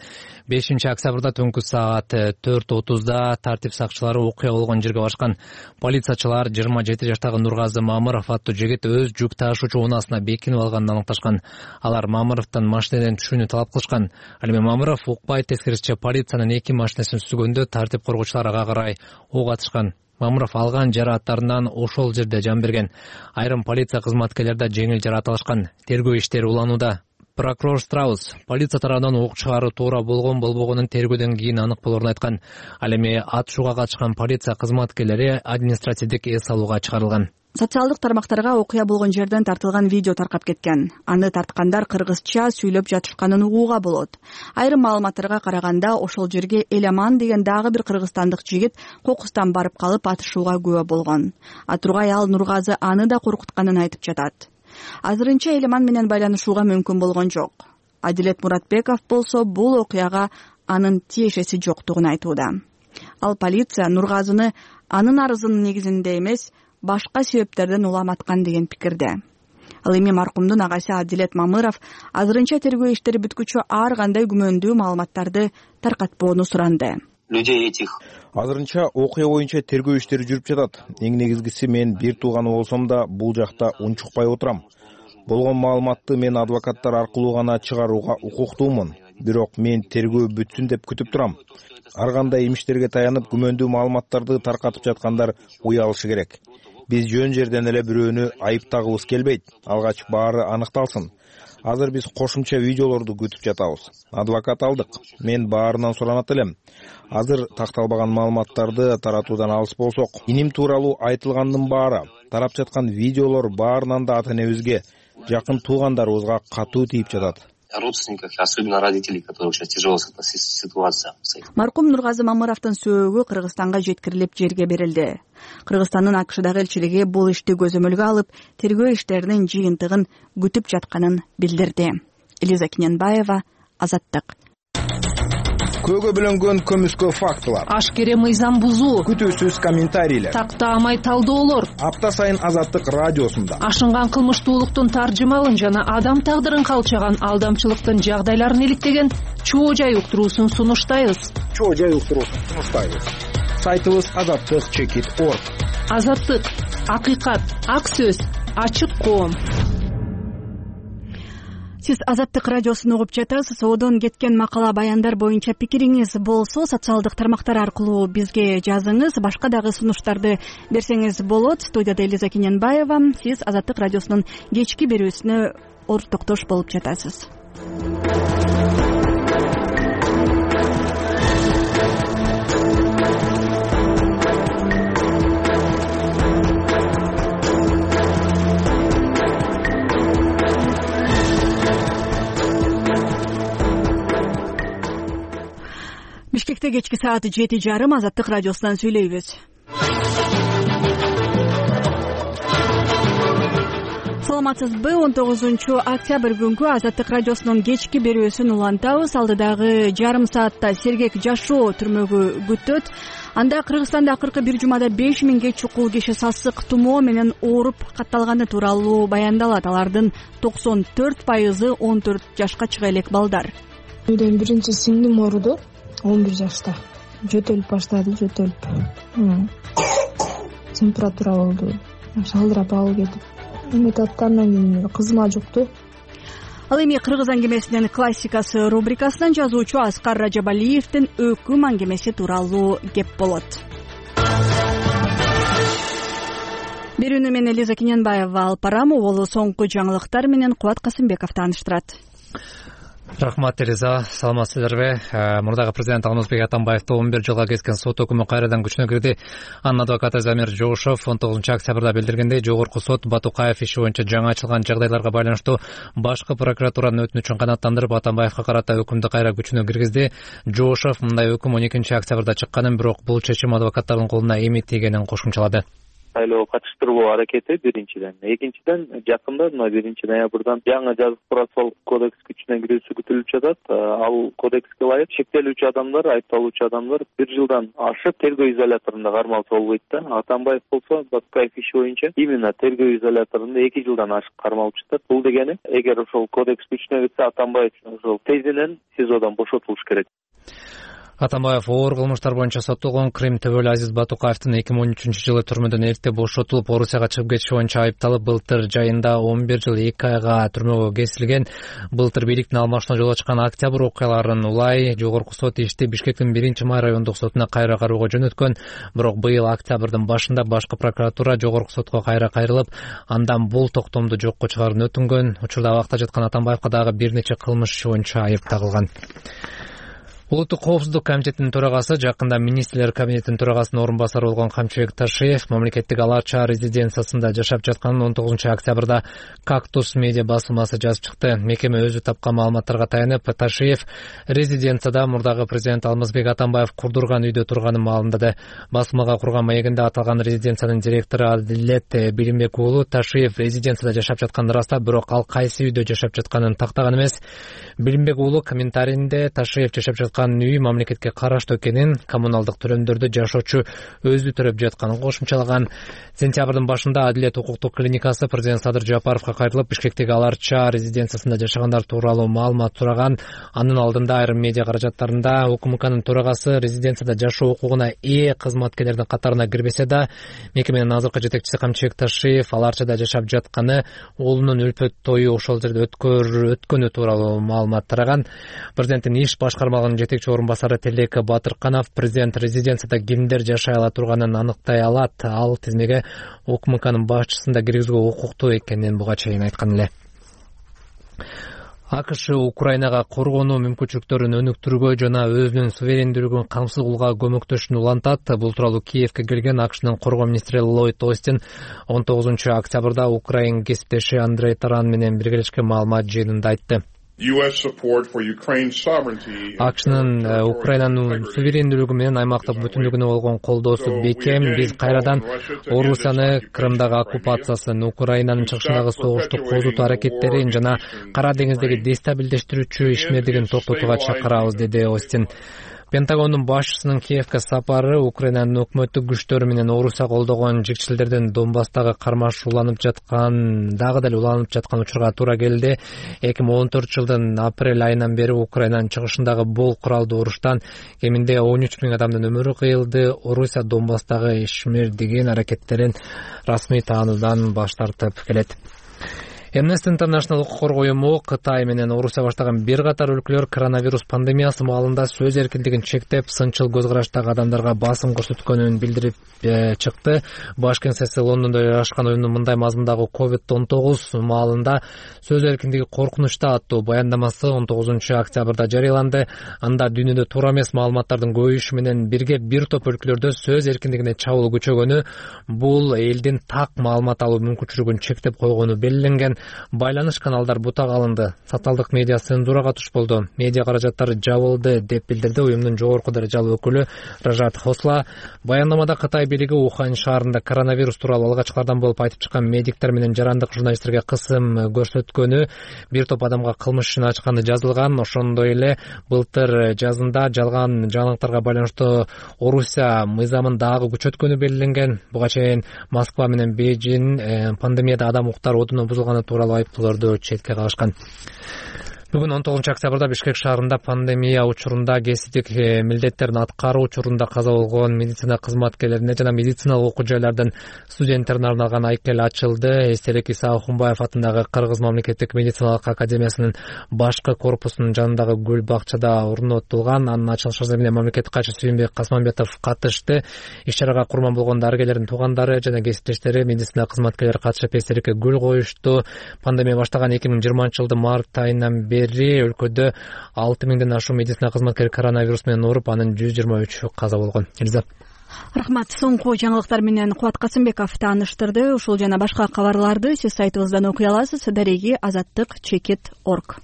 бешинчи октябрда түнкү саат төрт отузда тартип сакчылары окуя болгон жерге барышкан. Полициячылар жыйырма жети жаштагы Нургазы Мамыров аттуу жигит өз жүк ташуучу унаасына бекинип алганын аныкташкан. Алар Мамыровдон машинеден түшүүнү талап кылышкан. Ал эми Мамыров укпай тескерисинче полициянын эки машинесин сүзгөндө тартип коргоочулар ага карай ок атышкан. Мамыров алган жарааттарынан ошол жерде жан берген. Айрым полиция кызматкерлери да жеңил жараат алышкан. Тергөө иштери уланууда. Прокурор Страус полиция тарабынан ок чыгаруу туура болгон болбогонун тергөөдөн кийин анык болорун айткан. Ал эми атышууга катышкан полиция кызматкерлери административдик эс алууга чыгарылган. Социалдык тармактарга окуя болгон жерден тартылган видео таркап кеткен. Аны тарткандар кыргызча сүйлөп жатышканын угууга болот. Айрым маалыматтарга караганда ошол жерге Эламан деген дагы бир кыргызстандык жигит кокустан барып калып атышууга күбө болгон. Атургай ал Нургазы аны да коркутканын айтып жатат. Азырынча Эламан менен байланышууга мүмкүн болгон жок. Адилет Муратбеков болсо бул окуяга анын тиешеси жоктугун айтууда. Ал полиция Нургазыны анын арызынын негизинде эмес, башка себептерден уламаткан деген пикирде. Ал эми маркумдун агасы Адилет Мамыров азырынча тергөө иштери бүткүчө ар кандай күмөндүү маалыматтарды таркатпоону суранды. Людей этих. Азырынча окуя боюнча тергөө иштери жүрүп жатат. Эң негизгиси мен бир тууганы болсом да бул жакта унчукпай отурам. Болгон маалыматты мен адвокаттар аркылуу гана чыгарууга укуктуумун. Бирок мен тергөө бүтсүн деп күтүп турам. Ар кандай имиштерге таянып күмөндүү маалыматтарды таркатып жаткандар уялышы керек. Биз жөн жерден эле бирөөнү айыптагыбыз келбейт. Алгач баары аныкталсын. Азыр биз кошумча видеолорду күтүп жатабыз. Адвокат алдык. Мен баарынан суранат элем. Азыр такталбаган маалыматтарды таратуудан алыс болсок, иним тууралуу айтылгандын баары, тарап жаткан видеолор баарынан да ата энебизге, жакын туугандарыбызга катуу тийип жатат. родственниках, особенно родителей, которых сейчас тяжелая ситуация стоит. Маркум Нургазы Мамыровдун сөөгү Кыргызстанга жеткирилип жерге берилди. Кыргызстандын АКШдагы элчилиги бул ишти көзөмөлгө алып, тергөө иштеринин жыйынтыгын күтүп жатканын билдирди. Элиза Киненбаева, Азаттык. Көөгө бөлөнгөн көмүскө фактылар, ашкере мыйзам бузуу, күтүүсүз комментарийлер, тактаамай талдоолор. Апта сайын Азаттык радиосунда ашынган кылмыштуулуктун таржымалын жана адам тагдырын калчаган алдамчылыктын жагдайларын иликтеген чоо жай уктуруусун сунуштайбыз. Чоо жай уктуруусун сунуштайбыз. Сайтыбыз азаттык чекит точка орг. Азаттык, акыйкат, ак сөз, ачык коом. Сиз Азаттык радиосун угуп жатасыз. Одон кеткен макала баяндар боюнча пикириңиз болсо, социалдык тармактар аркылуу бизге жазыңыз. Башка дагы сунуштарды берсеңиз болот. Студияда Элиза Киненбаева. Сиз Азаттык радиосунун кечки берүүсүнө ортоктош болуп жатасыз. Бишкекте кечки саат жети жарым Азаттык радиосунан сүйлөйбүз. Саламатсызбы? он тогузунчу октябрь күнгү Азаттык радиосунун кечки берүүсүн улантабыз. Алдыдагы жарым саатта сергек жашоо түрмөгү күтөт. Анда Кыргызстанда акыркы бир жумада беш миңге чукул киши сасык тумоо менен ооруп катталганы тууралуу баяндалат. Алардын токсон төрт пайызы он төрт жашка чыга элек балдар. Үйдөн биринчи сиңдим ооруду. он бир жашта жөтөлүп баштады, жөтөлүп. Температура болду. Шалдырап алып кетип. Эметип андан кийин кызыма жукту. Ал эми Кыргыз аңгемесинин классикасы рубрикасынан жазуучу Аскар Ражабалиевдин өкүм аңгемеси тууралуу кеп болот. Берүүнү мен Элиза Киненбаева алып барам. Ол соңку жаңылыктар менен Кубат Касымбеков тааныштырат. Рахмат, Элиза. Саламатсыздарбы? Мурдагы президент Алмазбек Атамбаевди он бир жылга kesкен сот өкүмү кайрадан күчүнө кирди. Анын адвокаты Замир Жошов он тогузунчу октябрда билдиргендей, жогорку сот Батукаев иши боюнча жаңы ачылган жагдайларга байланыштуу башкы прокуратуранын өтүнүчүн канааттандырып, Атамбаевга карата өкүмдү кайра күчүнө киргизди. Жошов мындай өкүм он экинчи октябрда чыкканын, бирок бул чечим адвокаттардын колуна эми тийгенин кошумчалады. Шайлоо катыштыруу аракети биринчиден. Экинчиден, жакында мына биринчи ноябрдан жаңы жазык процессуалдык кодекс күчүнө кирүүсү күтүлүп жатат. Ал кодекске ылайык шектелүүчү адамдар, айыпталуучу адамдар бир жылдан ашып тергөө изоляторунда кармалса болбойт да. Атамбаев болсо Батукаев иши боюнча именно тергөө изоляторунда эки жылдан ашык кармалып жатат. Бул дегени, эгер ошол кодекс күчүнө кирсе, Атамбаев ошол тезинен СИЗОдон бошотулуш керек. Атамбаев оор кылмыштар боюнча соттолгон Крим төбөлү Азиз Батукаевдин эки миң он үчүнчү жылы түрмөдөн эрте бошотулуп, Орусияга чыгып кетиши боюнча айыпталып, былтыр жайында он бир жыл эки айга түрмөгө кесилген. Былтыр бийликтин алмашына жолго чыккан октябрь окуяларын улай жогорку сот ишти Бишкектин биринчи май райондук сотуна кайра кароого жөнөткөн. Бирок быйыл октябрдын башында башкы прокуратура жогорку сотко кайра кайрылып, андан бул токтомду жокко чыгаруун өтүнгөн. Учурда абакта жаткан Атамбаевга дагы бир нече кылмыш иши боюнча айып тагылган. Улуттук коопсуздук комитетинин төрагасы, жакында министрлер кабинетинин төрагасынын орун басары болгон Камчыбек Ташиев мамлекеттик Ала Чаа резиденциясында жашап жатканын он тогузунчу октябрда Кактус медиа басылмасы жазып чыкты. Мекеме өзү тапкан маалыматтарга таянып, Ташиев резиденцияда мурдагы президент Алмазбек Атамбаев курдурган үйдө турганын маалымдады. Басылмага курган маегинде аталган резиденциянын директору Адилет Билимбек уулу Ташиев резиденцияда жашап жатканын ырастап, бирок ал кайсы үйдө жашап жатканын тактаган эмес. Билимбек уулу комментарийинде Ташиев жашап жаткан үй мамлекетке караштуу экенин, коммуналдык төлөмдөрдү жашоочу өзү төлөп жатканын кошумчалаган. Сентябрдын башында Адилет укуктук клиникасы президент Садыр Жапаровго кайрылып, Бишкектеги Ала Чаа резиденциясында жашагандар тууралуу маалымат сураган. Анын алдында айрым медиа каражаттарында УКМКнын төрагасы резиденцияда жашоо укугуна ээ кызматкерлердин катарына кирбесе да, мекеменин азыркы жетекчиси Камчыбек Ташиев Ала Чаада жашап жатканы, уулунун үлпөт тою ошол жерде өткөнү тууралуу маалымат тараган. Президенттин иш башкармалыгынын жетекчи орун басары Телек Батырканов президент резиденцияда кимдер жашай ала турганын аныктай алат. Ал тизмеге УКМКнын башчысын да киргизүүгө укуктуу экенин буга чейин айткан эле. АКШ Украинага коргонуу мүмкүнчүлүктөрүн өнүктүрүүгө жана өзүнүн суверендүүлүгүн камсыз кылууга көмөктөшүүнү улантат. Бул тууралуу Киевке келген АКШнын коргоо министри Ллойд Остин он тогузунчу октябрда Украин кесиптеши Андрей Таран менен биргелешкен маалымат жыйынында айтты. акшнын Украинанын суверендүүлүгү менен аймактык бүтүнлүгүнө болгон колдоосу бекем. Биз кайрадан Орусияны, Крымдагы оккупациясын, Украинанын чыгышындагы согушту козутуу аракеттерин жана Кара деңиздеги дестабилдештирүүчү ишмердигин токтотууга чакырабыз, деди Остин. Пентагондун башчысынын Киевке сапары Украинанын өкмөттүк күчтөрү менен Орусия колдогон жигчилдердин Донбасстагы кармашууланып жаткан, дагы деле уланып жаткан учурга туура келди. эки миң он төртүнчү жылдын апрель айынан бери Украинанын чыгышындагы бул куралдуу уруштан кеминде он үч миң адамдын өмүрү кыйылды. Орусия Донбасстагы ишмердигин аракеттерин расмий таануудан баш тартып келет. Amnesty International укук коргоо уюму Кытай менен Орусия баштаган бир катар өлкөлөр коронавирус пандемиясы маалында сөз эркиндигин чектеп, сынчыл көз караштагы адамдарга басым көрсөткөнүн билдирип э, чыкты. Баш кеңсеси Лондондо жайгашкан уюмдун мындай мазмундагы ковид он тогуз маалында сөз эркиндиги коркунучта аттуу баяндамасы он тогузунчу октябрда жарыяланды. Анда дүйнөдө туура эмес маалыматтардын көбөйүшү менен бирге бир топ өлкөлөрдө сөз эркиндигине чабуул күчөгөнү, бул элдин так маалымат алуу мүмкүнчүлүгүн чектеп койгону белгиленген. Байланыш каналдар бутак алынды. Социалдык медиа цензурага туш болду. Медиа каражаттары жабылды, деп билдирди уюмдун жогорку даражалуу өкүлү Ражат Хосла. Баяндамада Кытай бийлиги Ухань шаарында коронавирус тууралуу алгачкылардан болуп айтып чыккан медиктер менен жарандык журналисттерге кысым көрсөткөнү, бир топ адамга кылмыш ишин ачканы жазылган. Ошондой эле былтыр жазында жалган жаңылыктарга байланыштуу Орусия мыйзамын дагы күчөткөнү белгиленген. Буга чейин Москва менен Бейжин э, пандемияда адам укуктары одуну бузулганы тууралуу айыптоолорду четке кагышкан. Бүгүн он тогузунчу октябрда Бишкек шаарында пандемия учурунда кесиптик милдеттерин аткаруу учурунда каза болгон медицина кызматкерлерине жана медициналык окуу жайлардын студенттерине арналган айкел ачылды. Эстелик Иса Ахунбаев атындагы Кыргыз мамлекеттик медициналык академиясынын башкы корпусунун жанындагы гүл бакчада орнотулган. Анын ачылыш азыры мамлекеттик катчы Сүйүнбек Касманбетов катышты. Иш-чарага курман болгон дарыгерлердин туугандары жана кесиптештери, медицина кызматкерлери катышып эстеликке гүл коюшту. Пандемия баштаган эки миң жыйырманчы жылдын март айынан бери өлкөдө алты миңден ашуун медицина кызматкери коронавирус менен ооруп, анын жүз жыйырма үчү каза болгон. Элиза. Рахмат. Соңку жаңылыктар менен Кубат Касымбеков тааныштырды. Ушул жана башка кабарларды сиз сайтыбыздан окуй аласыз. Дареги азаттык чекит точка орг.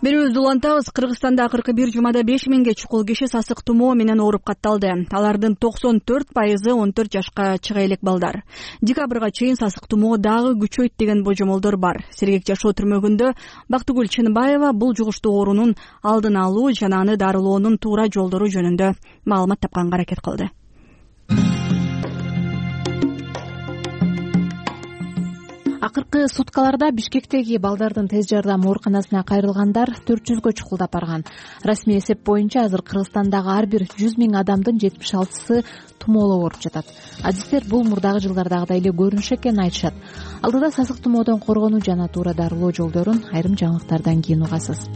Берүүбүздү улантабыз. Кыргызстанда акыркы бир жумада беш миңге чукул киши сасык тумоо менен ооруп катталды. Алардын токсон төрт пайызы он төрт жашка чыга элек балдар. Декабрга чейин сасык тумоо дагы күчөйт деген божомолдор бар. Сергек жашоо түрмөгүндө Бактыгүл Чыныбаева бул жугуштуу оорунун алдын алуу жана аны дарылоонун туура жолдору жөнүндө маалымат тапканга аракет кылды. Акыркы суткаларда Бишкектеги балдардын тез жардам ооруканасына кайрылгандар төрт жүзгө чукулдап барган. Расмий эсеп боюнча азыр Кыргызстандагы ар бир жүз миң адамдын жетимиш алтысы тумоолоп ооруп жатат. Адистер бул мурдагы жылдардагыдай эле көрүнүш экенин айтышат. Алдыда сасык тумоодон коргонуу жана туура дарылоо жолдорун айрым жаңылыктардан кийин угасыз.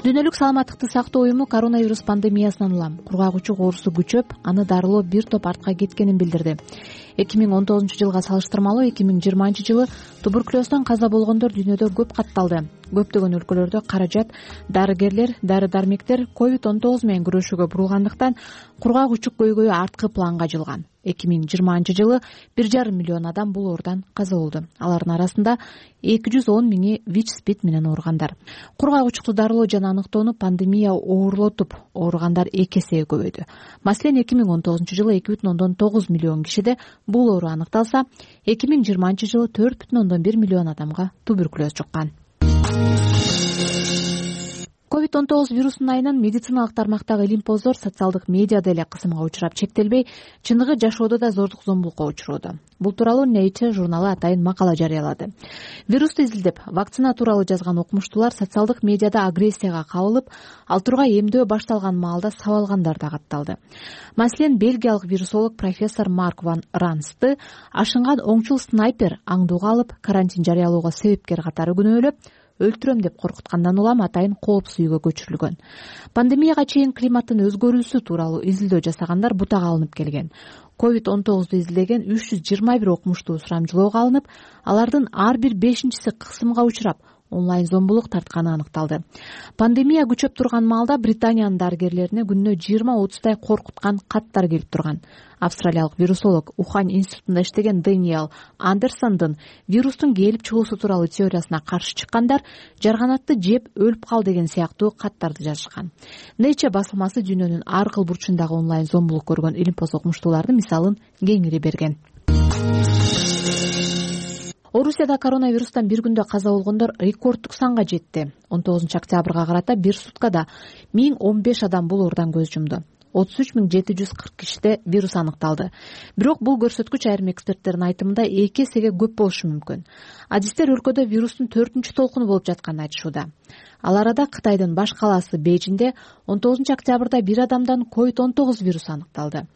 Дүйнөлүк саламаттыкты сактоо уюму коронавирус пандемиясынан улам кургагучук оорусу күчөп, аны дарылоо бир топ артка кеткенин билдирди. эки миң он тогузунчу жылга салыштырмалуу эки миң жыйырманчы жылы туберкулездон каза болгондор дүйнөдө көп катталды. Көптөгөн өлкөлөрдө каражат дарыгерлер, дары-дармектер ковид он тогуз менен күрөшүүгө бурулгандыктан кургагучук көйгөйү арткы планга жылган. эки миң жыйырманчы жылы бир жарым миллион адам бул оорудан каза болду. Алардын арасында эки жүз он миңи ВИЧ-СПИД менен ооругандар. Кургагучукту дарылоо жана аныктоону пандемия оорлотуп, ооругандар эки эсеге көбөйдү. Маселен, эки миң он тогузунчу жылы эки бүтүн ондон тогуз миллион кишиде бул оору аныкталса, эки миң жыйырманчы жылы төрт бүтүн ондон бир миллион адамга туберкулез жуккан. ковид он тогуз вирусунун айынан медициналык тармактагы илим-поздор социалдык медиада эле кысымга учурап чектелбей, чыныгы жашоодо да зордук зомбулукка учуроодо. Бул тууралуу Nature журналы атайын макала жарыялады. Вирусту изилдеп, вакцина тууралуу жазган окумуштуулар социалдык медиада агрессияга кабылып, ал тургай эмдөө башталган маалда сабалгандар да катталды. Маселен, бельгиялык вирусолог профессор Марк ван Рансты ашынган оңчул снайпер аңдууга алып, карантин жарыялоого себепкер катары күнөөлөп, өлтүрөм деп коркуткандан улам атайын коопсуз үйгө көчүрүлгөн. Пандемияга чейин климаттын өзгөрүүсү тууралуу изилдөө жасагандар бутага алынып келген. ковид он тогузду изилдеген үч жүз жыйырма бир окумуштуу сурамжылоого алынып, алардын ар бир бешинчиси кысымга учурап, онлайн зомбулук тартканы аныкталды. Пандемия күчөп турган маалда Британиянын дарыгерлерине күнүнө жыйырма отуздай коркуткан каттар келип турган. Австралиялык вирусолог Ухань институтунда иштеген Дэниел Андерсондун вирустун келип чыгуусу тууралуу теориясына каршы чыккандар жарганатты жеп өлүп кал деген сыяктуу каттарды жазышкан. Nature басылмасы дүйнөнүн ар кыл бурчундагы онлайн зомбулук көргөн илимпоз окумуштуулардын мисалын кеңири берген. Орусияда коронавирустан бир күндө каза болгондор рекордтук санга жетти. он тогузунчу октябрга карата бир суткада миң он беш адам бул оорудан көз жумду. отуз үч миң жети жүз кырк кишиде вирус аныкталды. Бирок бул көрсөткүч айрым эксперттердин айтымында эки эсеге көп болушу мүмкүн. Адистер өлкөдө вирустун төртүнчү толкуну болуп жатканын айтышууда. Ал арада Кытайдын баш калаасы Бейжиңде он тогузунчу октябрда бир адамдан ковид он тогуз вирусу аныкталды.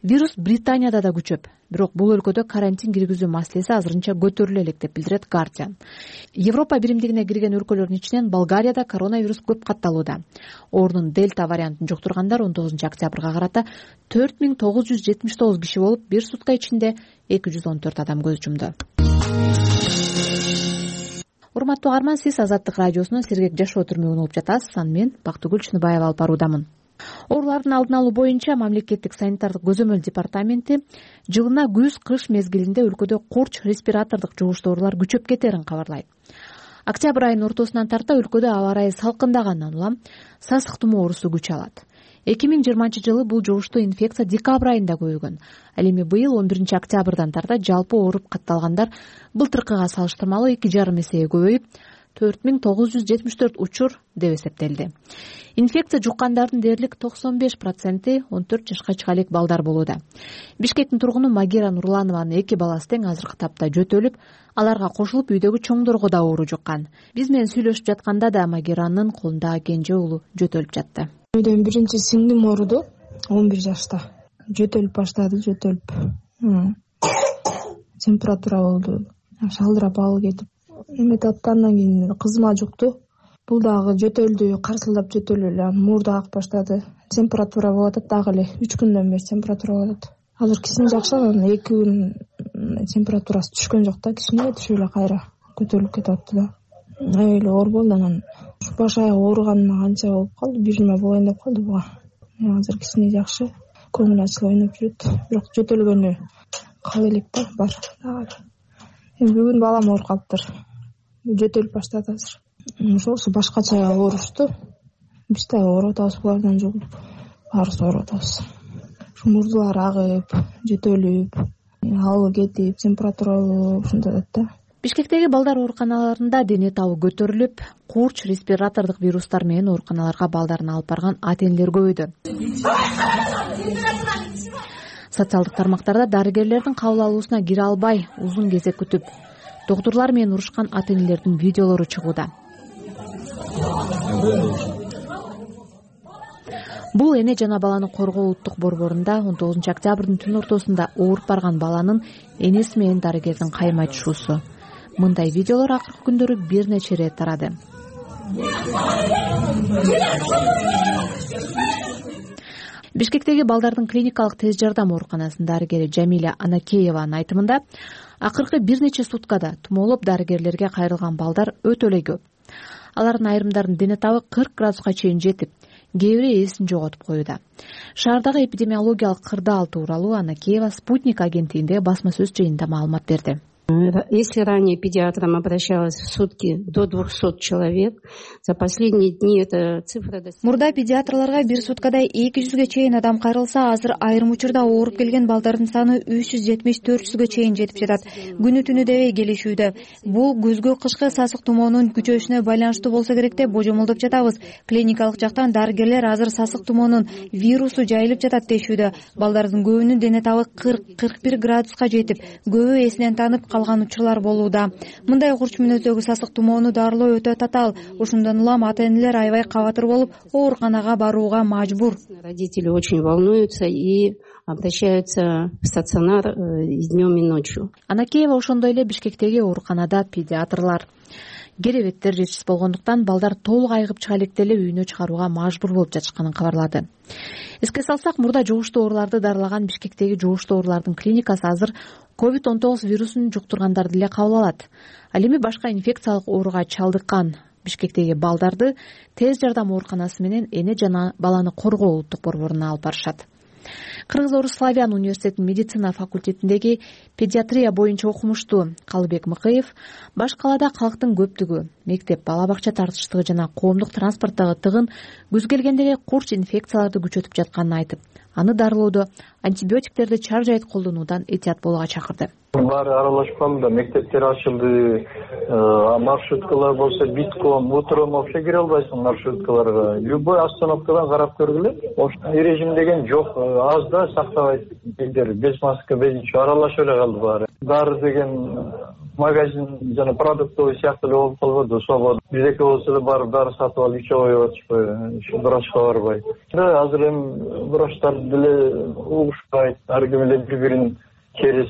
Вирус Британияда да күчөп, бирок бул өлкөдө карантин киргизүү маселеси азырынча көтөрүлө элек деп билдирет Guardian. Европа биримдигине кирген өлкөлөрдүн ичинен Болгарияда коронавирус көп катталууда. Оорунун дельта вариантын жуктургандар он тогузунчу октябрга карата төрт миң тогуз жүз жетимиш тогуз киши болуп, бир сутка ичинде эки жүз он төрт адам көз жумду. Урматтуу угарман, сиз Азаттык радиосунун сергек жашоо түрмөгүн угуп жатасыз. Аны мен Бактыгүл Чыныбаева алып баруудамын. Оорулардын алдын алуу боюнча мамлекеттик санитардык көзөмөл департаменти жылына күз-кыш мезгилинде өлкөдө курч респиратордук жугуштуу оорулар күчөп кетерин кабарлайт. Октябрь айынын ортосунан тарта өлкөдө аба ырайы салкындагандан улам сасык тумоо оорусу күч алат. эки миң жыйырманчы жылы бул жугуштуу инфекция декабрь айында көбөйгөн. Ал эми быйыл он биринчи октябрдан тарта жалпы ооруп катталгандар былтыркыга салыштырмалуу эки жарым эсеге көбөйүп, төрт миң тогуз жүз жетимиш төрт учур деп эсептелди. Инфекция жуккандардын дээрлик токсон беш проценти он төрт жашка чыга элек балдар болууда. Бишкектин тургуну Магира Нурланованын эки баласы тең азыркы тапта жөтөлүп, аларга кошулуп үйдөгү чоңдорго да оору жуккан. Биз менен сүйлөшүп жатканда да Магиранын колундагы кенже уулу жөтөлүп жатты. Үйдөн биринчи сиңдим ооруду, он бир жашта. Жөтөлүп баштады, жөтөлүп. Температура болду. Шалдырап алып кетип. Эметип аттандан кийин кызыма жукту. Бул дагы жөтөлдү, карсылдап жөтөлүп эле мурду агып баштады. Температура болуп атат дагы эле. үч күндөн бери температура болуп атат. Азыр кичине жакшы, эки күн температурасы түшкөн жок да, кичине түшүп эле кайра көтөрүлүп кетип атты да. Аябай эле оор болду. Анан баш аяк ооруганыма канча болуп калды, бир жума болоюн деп калды буга. Азыр кичине жакшы, көңүл ачылып ойноп жүрөт. Бирок жөтөлгөнү кала элек да бар. Эми бүгүн балам ооруп калыптыр. Жөтөлүп баштады азыр. Ошол башкача оорушты. Биз да ооруп атабыз булардан жугуп. Баарыбыз ооруп атабыз. Мурдулар агып, жөтөлүп, алып кетип, температура ушундай да. Бишкектеги балдар ооруканаларында дене табы көтөрүлүп, курч респиратордук вирустар менен ооруканаларга балдарын алып барган ата-энелер көбөйдү. Социалдык тармактарда дарыгерлердин кабыл алуусуна кире албай, узун кезек күтүп, доктурлар менен урушкан ата-энелердин видеолору чыгууда. Бул эне жана баланы коргоо улуттук борборунда он тогузунчу октябрдын түн ортосунда ооруп барган баланын энеси менен дарыгердин кайым айтышуусу. Мындай видеолор акыркы күндөрү бир нече ирет тарады. Бишкектеги балдардын клиникалык тез жардам ооруканасынын дарыгери Жамиля Анакееванын айтымында, акыркы бир нече суткада тумоолоп дарыгерлерге кайрылган балдар өтө эле көп. Алардын айрымдарынын дене табы кырк градуска чейин жетип, кээ бири эсин жоготуп коюуда. Шаардагы эпидемиологиялык кырдаал тууралуу Анакеева Спутник агенттигиндеги басма сөз жыйынында маалымат берди. Если ранее педиатрам обращалось в сутки до двухсот человек, за последние дни эта цифра достигла. Мурда педиатрларга бир суткада эки жүзгө чейин адам кайрылса, азыр айрым учурда ооруп келген балдардын саны үч жүз жетимиш төрт жүзгө чейин жетип жатат. Күнү түнү дебей келишүүдө. Бул күзгү кышкы сасык тумоонун күчөшүнө байланыштуу болсо керек деп божомолдоп жатабыз. Клиникалык жактан дарыгерлер азыр сасык тумоонун вирусу жайылып жатат дешүүдө. Балдардын көбүнүн дене табы кырк кырк бир градуска жетип, көбү эсинен танып калган учурлар болууда. Мындай курч мүнөздөгү сасык тумоону дарылоо өтө татаал. Ошондон улам ата-энелер аябай кабатыр болуп, ооруканага барууга мажбур. Родители очень волнуются и обращаются в стационар днем и ночью. Анакеева ошондой эле Бишкектеги ооруканада педиатрлар керебеттер жетишсиз болгондуктан балдар толук айыгып чыга электе эле үйүнө чыгарууга мажбур болуп жатышканын кабарлады. Эске салсак, мурда жугуштуу ооруларды дарылаган Бишкектеги жугуштуу оорулардын клиникасы азыр ковид он тогуз вирусун жуктургандарды эле кабыл алат. Ал эми башка инфекциялык ооруга чалдыккан Бишкектеги балдарды тез жардам ооруканасы менен эне жана баланы коргоо улуттук борборуна алып барышат. Кыргыз-Орус славян университетинин медицина факультетиндеги педиатрия боюнча окумуштуу Калыбек Мыкыев баш калаада калктын көптүгү, мектеп, бала бакча тартыштыгы жана коомдук транспорттогу тыгын күз келгенде курч инфекцияларды күчөтүп жатканын айтып, аны дарылоодо антибиотиктерди чаржайыт колдонуудан этият болууга чакырды. Баары аралашып калды, мектептер ачылды, маршруткалар болсо битком, утром вообще кире албайсың маршруткаларга. Любой остановкадан карап көргүлө. Ошол режим деген жок, аз да сактабайт элдер, без маска, без ничего аралашып эле калды баары. Дары деген магазин жана продуктовый сыяктуу эле болуп калбады, свобода. Биздеки болсо эле барып дары сатып алып ичип коюп атышпайбы, врачка барбай. Азыр эми врачтар деле угушпайт, ар ким эле бири-бирин через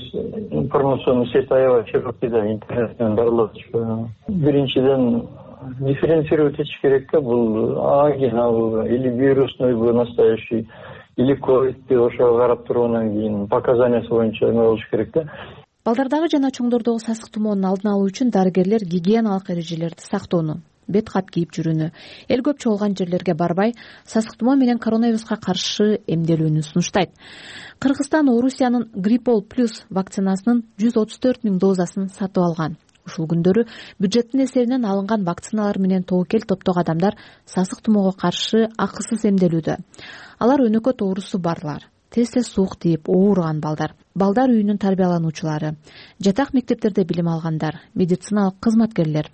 информационный сеть аябай широкийда интернеттен дарылап атышпайбы. Биринчиден дифференцировать этиш керек да, бул ангина или вирусныйбы настоящий, или ковидти ошого карап тургандан кийин показаниясы боюнча эме болуш керек да. Балдардагы жана чоңдордогу сасык тумоонун алдын алуу үчүн дарыгерлер гигиеналык эрежелерди сактоону, бет кап кийип жүрүүнү, эл көп чогулган жерлерге барбай, сасык тумоо менен коронавируска каршы эмделүүнү сунуштайт. Кыргызстан Орусиянын Гриппол плюс вакцинасынын жүз отуз төрт миң дозасын сатып алган. Ушул күндөрү бюджеттин эсебинен алынган вакциналар менен тобокел топтогу адамдар сасык тумоого каршы акысыз эмделүүдө. Алар өнөкөт оорусу барлар, тез-тез суук тийип ооруган балдар, балдар үйүнүн тарбиялануучулары, жатак мектептерде билим алгандар, медициналык кызматкерлер.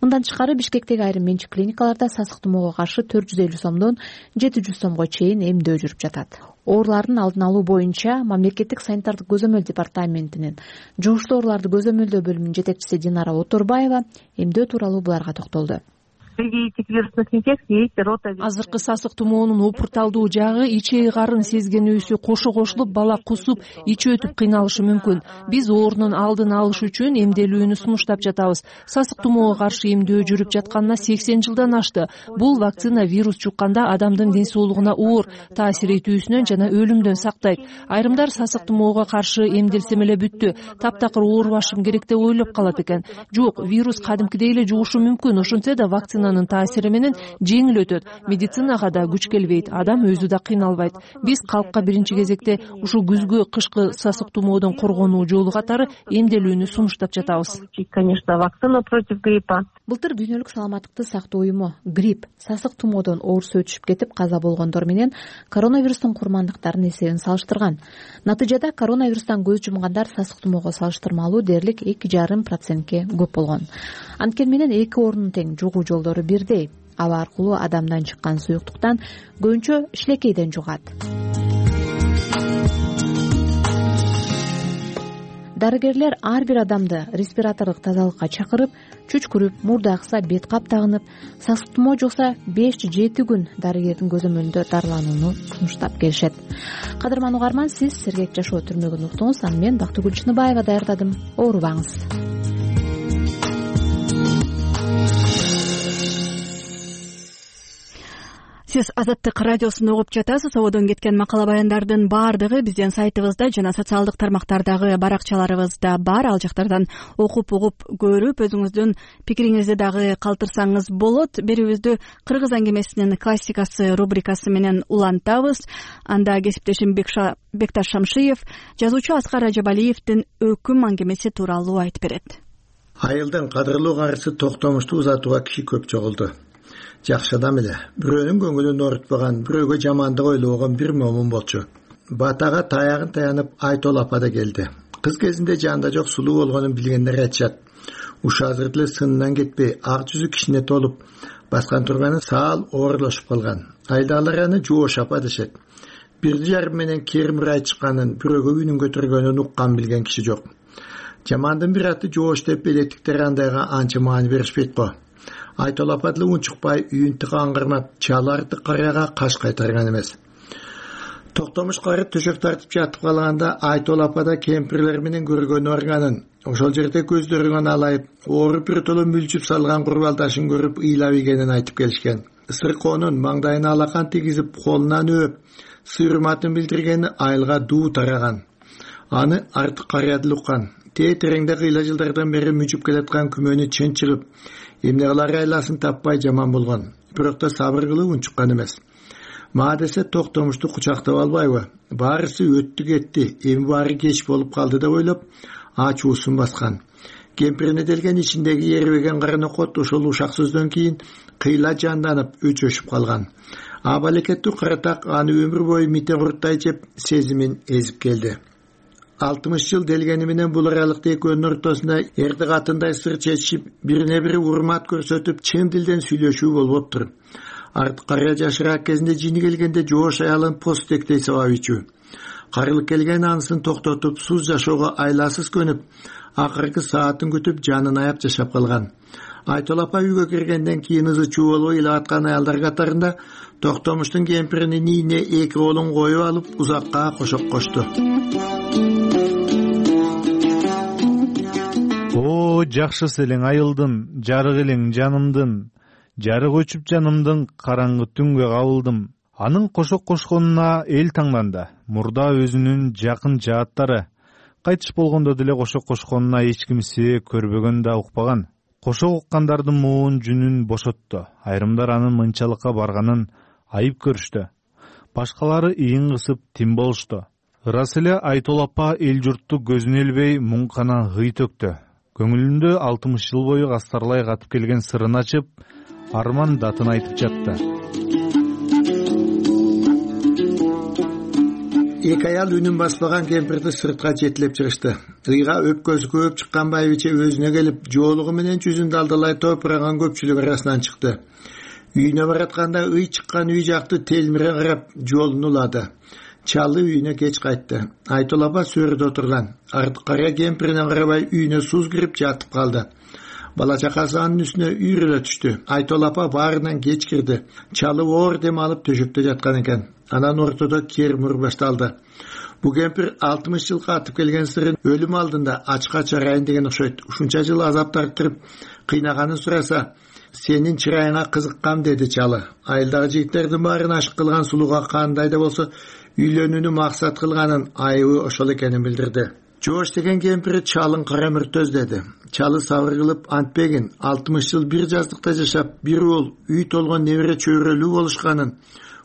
Мындан тышкары Бишкектеги айрым менчик клиникаларда сасык тумоого каршы төрт жүз элүү сомдон жети жүз сомго чейин эмдөө жүрүп жатат. Оорулардын алдын алуу боюнча мамлекеттик санитардык көзөмөл департаментинин жугуштуу ооруларды көзөмөлдөө бөлүмүнүн жетекчиси Динара Оторбаева эмдөө тууралуу буларга токтолду. Азыркы сасык тумоонун опурталдуу жагы ичеги карын сезгенүүсү кошо кошулуп бала кусуп, ичи өтүп кыйналышы мүмкүн. Биз оорунун алдын алыш үчүн эмделүүнү сунуштап жатабыз. Сасык тумоого каршы эмдөө жүрүп жатканына сексен жылдан ашты. Бул вакцина вирус жукканда адамдын ден соолугуна оор таасир этүүсүнөн жана өлүмдөн сактайт. Айрымдар сасык тумоого каршы эмделсем эле бүттү, таптакыр оорубашым керек деп ойлоп калат экен. Жок, вирус кадимкидей эле жугушу мүмкүн. Ошентсе да вакцина таасири менен жеңил өтөт. Медицинага да күч келбейт, адам өзү да кыйналбайт. Биз калкка биринчи кезекте ушул күзгү кышкы сасык тумоодон коргонуу жолу катары эмделүүнү сунуштап жатабыз. Конечно, вакцина против гриппа. Былтыр дүйнөлүк саламаттыкты сактоо уюму грипп, сасык тумоодон оорусу өтүшүп кетип каза болгондор менен коронавирустун курмандыктарын эсебин салыштырган. Натыйжада коронавирустан көз жумгандар сасык тумоого салыштырмалуу дээрлик эки жарым процентке көп болгон. Анткени менен эки оорунун тең жугуу жолдору бирдей. Аба аркылуу адамдан чыккан суюктуктан көбүнчө шилекейден жугат. Дарыгерлер ар бир адамды респираторлук тазалыкка чакырып, чүчкүрүп, мурда акса бет кап тагынып, сасык тумоо жукса беш жети күн дарыгердин көзөмөлүндө дарыланууну сунуштап келишет. Кадырман угарман, сиз сергек жашоо түрмөгүн уктуңуз, аны мен Бактыгүл Чыныбаева даярдадым. Оорубаңыз. Сиз Азаттык радиосун угуп жатасыз. Ободон кеткен макала баяндардын баардыгы биздин сайтыбызда жана социалдык тармактардагы баракчаларыбызда бар. Ал жактардан окуп угуп көрүп, өзүңүздүн пикириңизди дагы калтырсаңыз болот. Берүүбүздү Кыргыз аңгемесинин классикасы рубрикасы менен улантабыз. Анда кесиптешим Бекташ Шамшиев жазуучу Аскар Ажабалиевдин өкүм аңгемеси тууралуу айтып берет. Айылдын кадырлуу карысы токтомушту узатууга киши көп чогулду. Жакшы адам эле, бирөөнүн көңүлүн оорутпаган, бирөөгө жамандык ойлобогон бир момун болчу. Батага таягын таянып Айтол апа да келди. Кыз кезинде жанында жок сулуу болгонун билгендер айтышат. Ушу азыр деле сынынан кетпей, ак жүзү кичине толуп, баскан турганы саал оорулашып калган. Айдалар аны Жоош апа дешет. Бир жарым менен кермирай чыкканын, бирөөгө үнүн көтөргөнүн уккан билген киши жок. Жамандын бир аты Жоош деп элеттиктер андайга анча маани беришпейт го. Айтол апа деле унчукпай үйүн тыга аңгырмап, чаларды караяга каш кайтарган эмес. Токтомуш кары төшөк тартып жатып калганда Айтол апа да кемпирлер менен көргөнү барганын, ошол жерде көздөрүн алайып, ооруп бир толо мүлчүп салган курбалдашын көрүп ыйлап ийгенин айтып келишкен. Сыркоонун маңдайына алакан тийгизип, колунан өөп, сыйырматын билдиргени айылга дуу тараган. Аны артык карыядыл уккан. Тээ тереңде кыйла жылдардан бери мүчүп келаткан күмөнү чын чыгып, эмне кылар айласын таппай жаман болгон. Бирок да сабыр кылып унчуккан эмес. Ма десе Токтомушту кучактап албайбы? Баарысы өттү кетти, эми баары кеч болуп калды деп ойлоп, ачуусун баскан. Кемпирине делген ичиндеги эрбеген каранокот ошол ушак сөздөн кийин кыйла жанданып, өчөшүп калган. Абалекеттүү каратак аны өмүр бою мите куруттай жеп, сезимин эзип келди. алтымыш жыл делгени менен бул аралыкта экөөнүн ортосунда эрди катындай сыр чечишип, бирине бири урмат көрсөтүп, чын дилден сүйлөшүү болуптур. Артык карыя жашыраак кезинде жини келгенде жоош аялын посттектей сабап ичүү. Карылык келген анысын токтотуп, суз жашоого айласыз көнүп, акыркы саатын күтүп жанын аяп жашап калган. Айтол апа үйгө киргенден кийин ызы чуу болбой ыйлап аткан аялдар катарында Токтомуштун кемпиринин ийине эки колун коюп алып, узакка кошоп кошту. О, жакшысы элең айылдын, жарык элең жанымдын, жарык өчүп жанымдын, караңгы түнгө кабылдым. Анын кошок кошконуна эл таңданды. Мурда өзүнүн жакын жааттары кайтыш болгондо деле кошок кошконуна эч кимсе көрбөгөн да укпаган. Кошок уккандардын муун жүнүн бошотту. Айрымдар анын мынчалыкка барганын айып көрүштү. Башкалары ийин кысып тим болушту. Ырас эле Айтол апа эл журтту көзүнө илбей муңкана гый төктү. Көңүлүндө алтымыш жыл бою кастарлай катып келген сырын ачып, арман датын айтып жатты. Эки аял үнүн баспаган кемпирди сыртка жетилеп чыгышты. Ыйга өпкөсү көп чыккан байбиче өзүнө келип, жоолугу менен жүзүн далдалай топураган көпчүлүк арасынан чыкты. Үйүнө баратканда ый чыккан үй жакты телмире карап жолун улады. Чалы үйүнө кеч кайтты. Айтол апа сөрүдө отурган. Артык карыя кемпирине карабай үйүнө суз кирип жатып калды. Бала чакасы анын үстүнө үйрөлө түштү. Айтол апа баарынан кеч кирди. Чалы оор дем алып төшөктө жаткан экен. Анан ортодо кермур башталды. Бу кемпир алтымыш жыл катып келген сырын өлүм алдында ачка чарайын деген окшойт. Ушунча жыл азап тартырып кыйнаганын сураса, сенин чырайыңа кызыккам деди чалы. Айылдагы жигиттердин баарын ашык кылган сулууга кандай да болсо үйлөнүүнү максат кылганын, айыбы ошол экенин билдирди. Жоош деген кемпири чалын кара мүртөз деди. Чалы сабыр кылып антпегин, алтымыш жыл бир жаздыкта жашап, бир уул, үй толгон небере чөйрөлүү болушканын,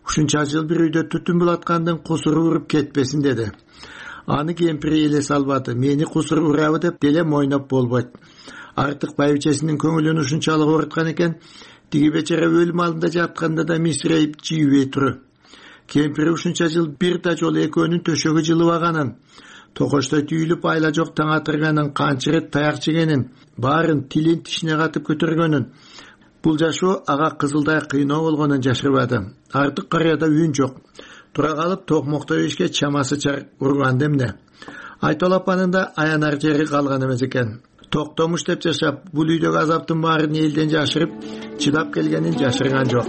ушунча жыл бир үйдө түтүн булаткандын кусуру уруп кетпесин деди. Аны кемпири эле салбады. Мени кусур урабы деп деле мойноп болбойт. Артык байбичесинин көңүлүн ушунчалык ооруткан экен, тиги бечара өлүм алдында жатканда да мисирейип жийбей туру. Кемпири ушунча жыл бир да жолу экөөнүн төшөгү жылыбаганын, токоштой түйүлүп айла жок таң атырганын, канча ирет таяк жегенин, баарын тилин тишине катып көтөргөнүн, бул жашоо ага кызылдай кыйноо болгонун жашырбады. Артык карыяда үн жок. Тура калып токмокто ишке чамасы чар урган демне. Айтол апанын да аянар жери калган эмес экен. Токтомуш деп жашап, бул үйдөгү азаптын баарын элден жашырып, чыдап келгенин жашырган жок.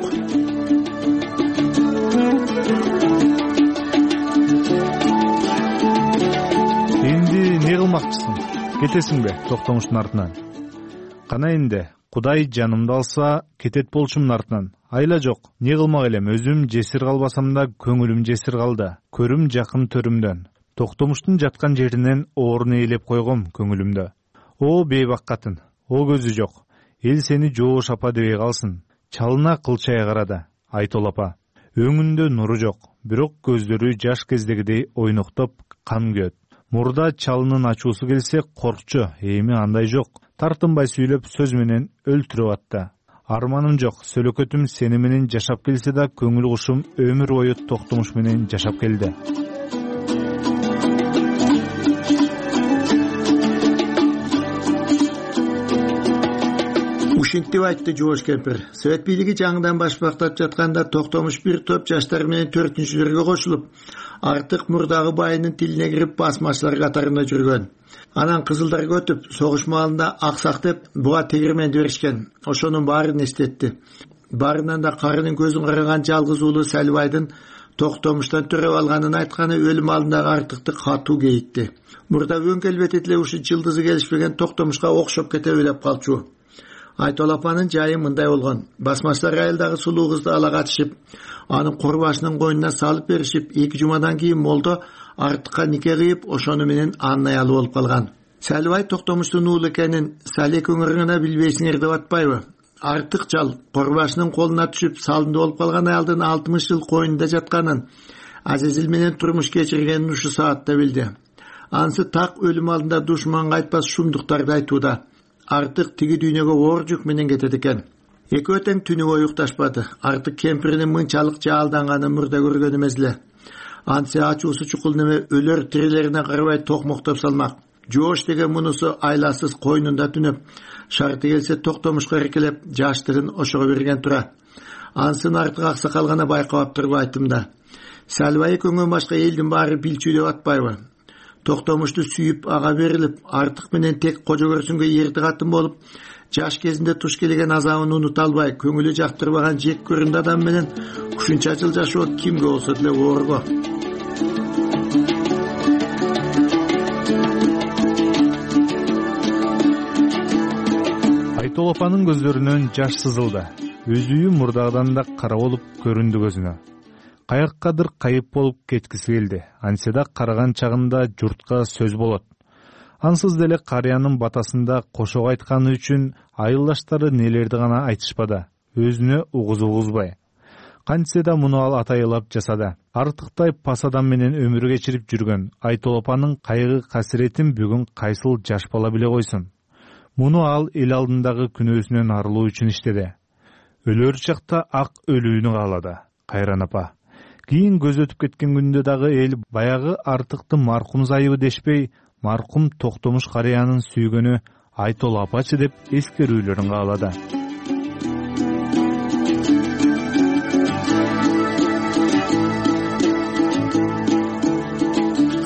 Эмне кылмакчысың? Кетесиңби Токтомуштун артынан? Кана энди, Кудай жанымды алса, кетет болчумун артынан. Айла жок, не кылмак элем, өзүм жесир калбасам да көңүлүм жесир калды. Көрүм жакын төрүмдөн. Токтомуштун жаткан жеринен оорун ээлеп койгом көңүлүмдө. О бейбак катын, о көзү жок. Эл сени жоош апа дебей калсын. Чалына кылчай карады. Айтол апа. Өңүндө нуру жок, бирок көздөрү жаш кездегидей ойноктоп кан күйөт. Мурда чалынын ачуусу келсе коркчу, эми андай жок. Тартынбай сүйлөп сөз менен өлтүрүп атты. Арманым жок, сөлөкөтүм сени менен жашап келсе да көңүл кушум өмүр бою Токтомуш менен жашап келди. Ушинтип айтты жоош кемпир. Совет бийлиги жаңыдан башпактап жатканда Токтомуш бир топ жаштар менен төртүнчүлөргө кошулуп, артык мурдагы байынын тилине кирип басмачылар катарында жүргөн. Анан кызылдарга өтүп, согуш маалында аксак деп буга тегирменди беришкен. Ошонун баарын эстетти. Баарынан да карынын көзүн караган жалгыз уулу Салбайдын токтомуштан төрөп алганын айтканы өлүм алдындагы Артыкты катуу кейитти. Мурда өң келбети деле ушу жылдызы келишпеген Токтомушка окшоп кете белеп калчу. Айтол апанын жайы мындай болгон. Басмачылар айылдагы сулуу кызды ала катышып, анын курбашынын койнуна салып беришип, эки жумадан кийин молдо Артыкка нике кыйып, ошону менен анын аялы болуп калган. Салыбай Токтомуштун уулу экенин Салек өңүрүнө билбейсиңер деп атпайбы? Артык жал курбашынын колуна түшүп, салымды болуп калган аялдын алтымыш жыл койнунда жатканын, Азизил менен турмуш кечиргенин ушу саатта билди. Ансы так өлүм алдында душманга айтпас шумдуктарды айтууда. Артык тиги дүйнөгө оор жүк менен кетет экен. Экөө тең түнү бою укташпады. Артык кемпиринин мынчалык жаалданганын мурда көргөн эмес эле. Ансы ачуусу чукул неме өлөр тирилерине карабай токмоктоп салмак. Жоош деген мунусу айласыз койнунда түнөп, шарты келсе Токтомушка эркелеп, жаштыгын ошого берген тура. Ансын Артык аксакал гана байкап турбу айтымда. Салыбай экөөңөн башка элдин баары билчү деп атпайбы? Токтомушту сүйүп ага берилип, Артык менен тек кожо көрсүнгө эрти катын болуп, жаш кезинде туш келген азабын унута албай, көңүлү жактырбаган жек көрүндү адам менен ушунча жыл жашоо кимге болсо деле оорго. Айтол апанын көздөрүнөн жаш сызылды. Өзү мурдагыдан да кара болуп көрүндү көзүнө. Каяkkадыр кайып болуп кеткиси келди. Анседа караган чагында журтка сөз болот. Ансыз деле карыянын батасында кошок айтканы үчүн айылдаштары нелерди гана айтышпады. Өзүнө угузуп угузбай. Кантсе да муну ал атайылап жасады. Артыктай пас адам менен өмүр кечирип жүргөн Айтол апанын кайгы касиретин бүгүн кайсыл жаш бала биле койсун. Муну ал эл алдындагы күнөөсүнөн арылуу үчүн иштеди. Өлөр чакта ак өлүүнү каалады. Кайран апа. Кийин көз өтүп кеткен күндө дагы эл баягы Артыкты маркум зайыбы дешпей, маркум Токтомуш карыянын сүйгөнү Айтол апачы деп эскерүүлөрүн каалады.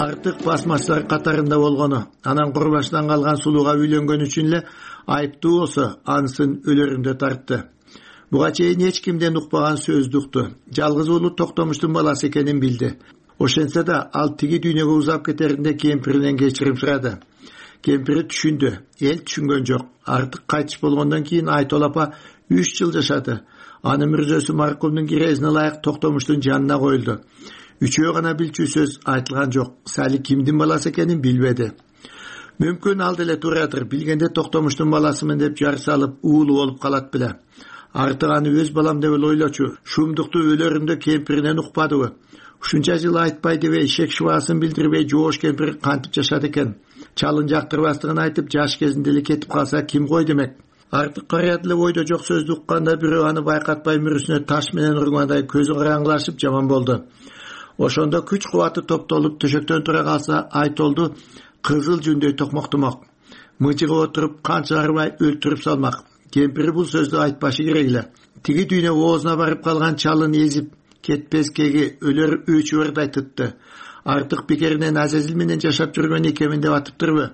Артык басмачылар катарында болгону, анан курбашынан калган сулууга үйлөнгөн үчүн эле айыптуу болсо, ансын өлөрүндө тартты. Буга чейин эч кимден укпаган сөздү укту. Жалгыз уулу Токтомуштун баласы экенин билди. Ошентсе да ал тиги дүйнөгө узап кетеринде кемпиринен кечирим сурады. Кемпири түшүндү, эл түшүнгөн жок. Артык кайтыш болгондон кийин Айтол апа үч жыл жашады. Анын мүрзөсү маркумдун кирезине ылайык Токтомуштун жанына коюлду. Үчөө гана билчү сөз айтылган жок. Сали кимдин баласы экенин билбеди. Мүмкүн ал деле турадыр, билгенде Токтомуштун баласымын деп жар салып уулу болуп калат беле. Артык аны өз балам деп ойлочу. Шумдукту өлөрүндө кемпиринен укпадыбы? Ушунча жыл айтпай дебей, шек шубасын билдирбей жоош кемпир кантип жашады экен? Чалын жактырбастыгын айтып, жаш кезинде эле кетип калса ким кой демек? Артык карыя деле ойдо жок сөздү укканда бирөө аны байкатпай мүрүсүнө таш менен ургандай көзү караңгылашып жаман болду. Ошондо күч кубаты топтолуп төшөктөн тура калса, Айтолду кызыл жүндөй токмоктомок. Мыжыгып отуруп канча арбай өлтүрүп салмак. Кемпири бул сөздү айтпашы керек эле. Тиги дүйнө оозуна барып калган чалын эзип кетпескеги өлөр үч өрд айтытты. Артык бекеринен Азизил менен жашап жүргөн экемин деп атыптырбы?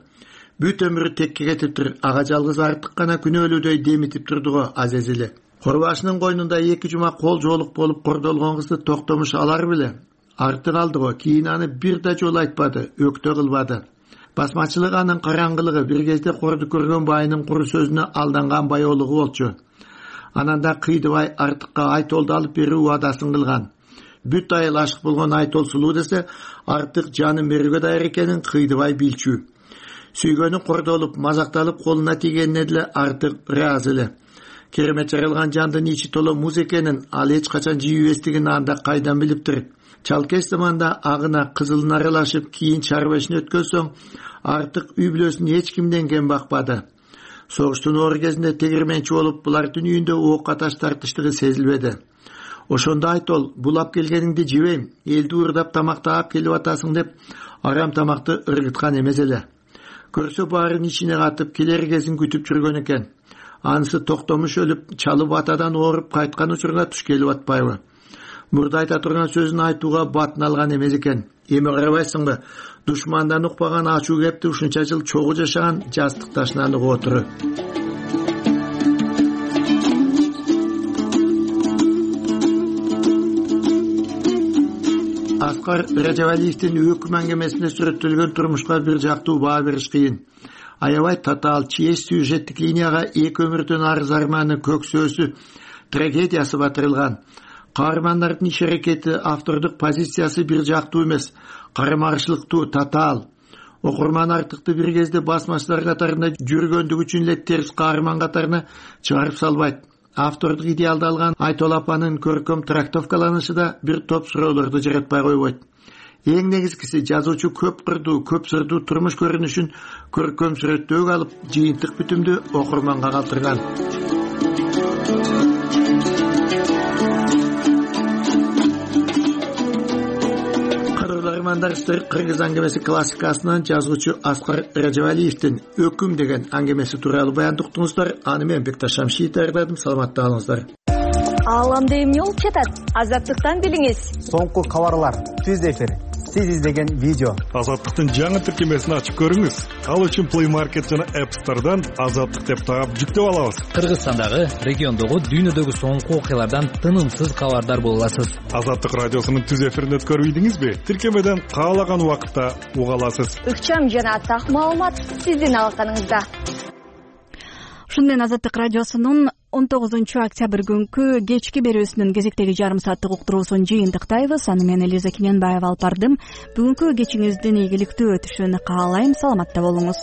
Бүт өмүрү текке кетиптир. Ага жалгыз Артык гана күнөөлүүдөй демитип турду го Азизили. Курбашынын койнунда эки жума кол жоолук болуп кордолгон кызды Токтомуш алар беле? Артык алды го. Кийин аны бир да жолу айтпады, өктө кылбады. Басмачылык анын караңгылыгы, бир кезде корду көргөн байынын куру сөзүнө алданган байоолугу болчу. Анан да Кыйдыбай Артыкка Айтолду алып берүү убадасын кылган. Бүт айыл ашык болгон Айтол сулуу десе, Артык жанын берүүгө даяр экенин Кыйдыбай билчү. Сүйгөнү кордолуп, мазакталып колуна тийгенине деле Артык ыраазы эле. Керемет жаралган жандын ичи толо муз экенин ал эч качан жийип эстигин анда кайдан билиптир? Чалкеш заманда агына кызылын аралашып, кийин чарбешин өткөн соң Артык үй бүлөсүн эч кимден кем бакпады. Согуштун оор кезинде тегирменчи болуп, булардын үйүндө ок аташ тартыштыгы сезилбеди. Ошондо Айтол, булап келгениңди жебейм, элди уурдап тамактап келип атасың деп арам тамакты ыргыткан эмес эле. Көрсө баарын ичине катып келер кезин күтүп жүргөн экен. Анысы Токтомуш өлүп, чалы батадан ооруп кайткан учурга туш келип атпайбы? Мурда айта турган сөзүн айтууга батын алган эмес экен. Эми карабайсыңбы? Душмандан укпаган ачуу кепти ушунча жыл чогуу жашаган жастык ташынан угуп отуру. Аскар Ражабалиевдин өкүм аңгемесинде сүрөттөлгөн турмушка бир жактуу баа бериш кыйын. Аябай татаал честь сюжеттик линияга эки өмүрдөн арыз арманы көксөөсү трагедиясы батырылган. Каармандардын иш аракети, автордук позициясы бир жактуу эмес, карама-каршылыктуу, татаал. Окурман артыкты бир кезде басмачылар катарында жүргөндүгү үчүн эле терс каарман катарына чыгарып салбайт. Автордук идеалды алган Айтол апанын көркөм трактовкаланышы да бир топ суроолорду жаратпай койбойт. Эң негизгиси, жазуучу көп кырдуу, көп сырдуу турмуш көрүнүшүн көркөм сүрөттөөгө алып, жыйынтык бүтүмдү окурманга калтырган. Кыргыз аңгемеси классикасынан жазуучу Аскар Ражабалиевдин өкүм деген аңгемеси тууралуу баянды уктуңуздар. Аны мен Бекташ Шамшиев даярдадым. Саламатта болуңуздар. Ааламда эмне болуп жатат? Азаттыктан билиңиз. Соңку кабарлар, түз эфир, сиз издеген видео. Азаттыктын жаңы тиркемесин ачып көрүңүз. Ал үчүн Play Market жана App Store'дан Азаттык деп таап жүктөп алабыз. Кыргызстандагы, региондогу, дүйнөдөгү соңку окуялардан тынымсыз кабардар боло аласыз. Азаттык радиосунун түз эфирин өткөрүп ийдиңизби? Тиркемеден каалаган убакытта уга аласыз. Ыкчам жана так маалымат сиздин алаканыңызда. Ушуну менен Азаттык радиосунун он тогузунчу октябрь күнкү кечки берүүсүнүн кезектеги жарым сааттык уктуруусун жыйынтыктайбыз. Аны мен Элиза Кененбаева алып бардым. Бүгүнкү кечиңиздин ийгиликтүү өтүшүн каалайм. Саламатта болуңуз.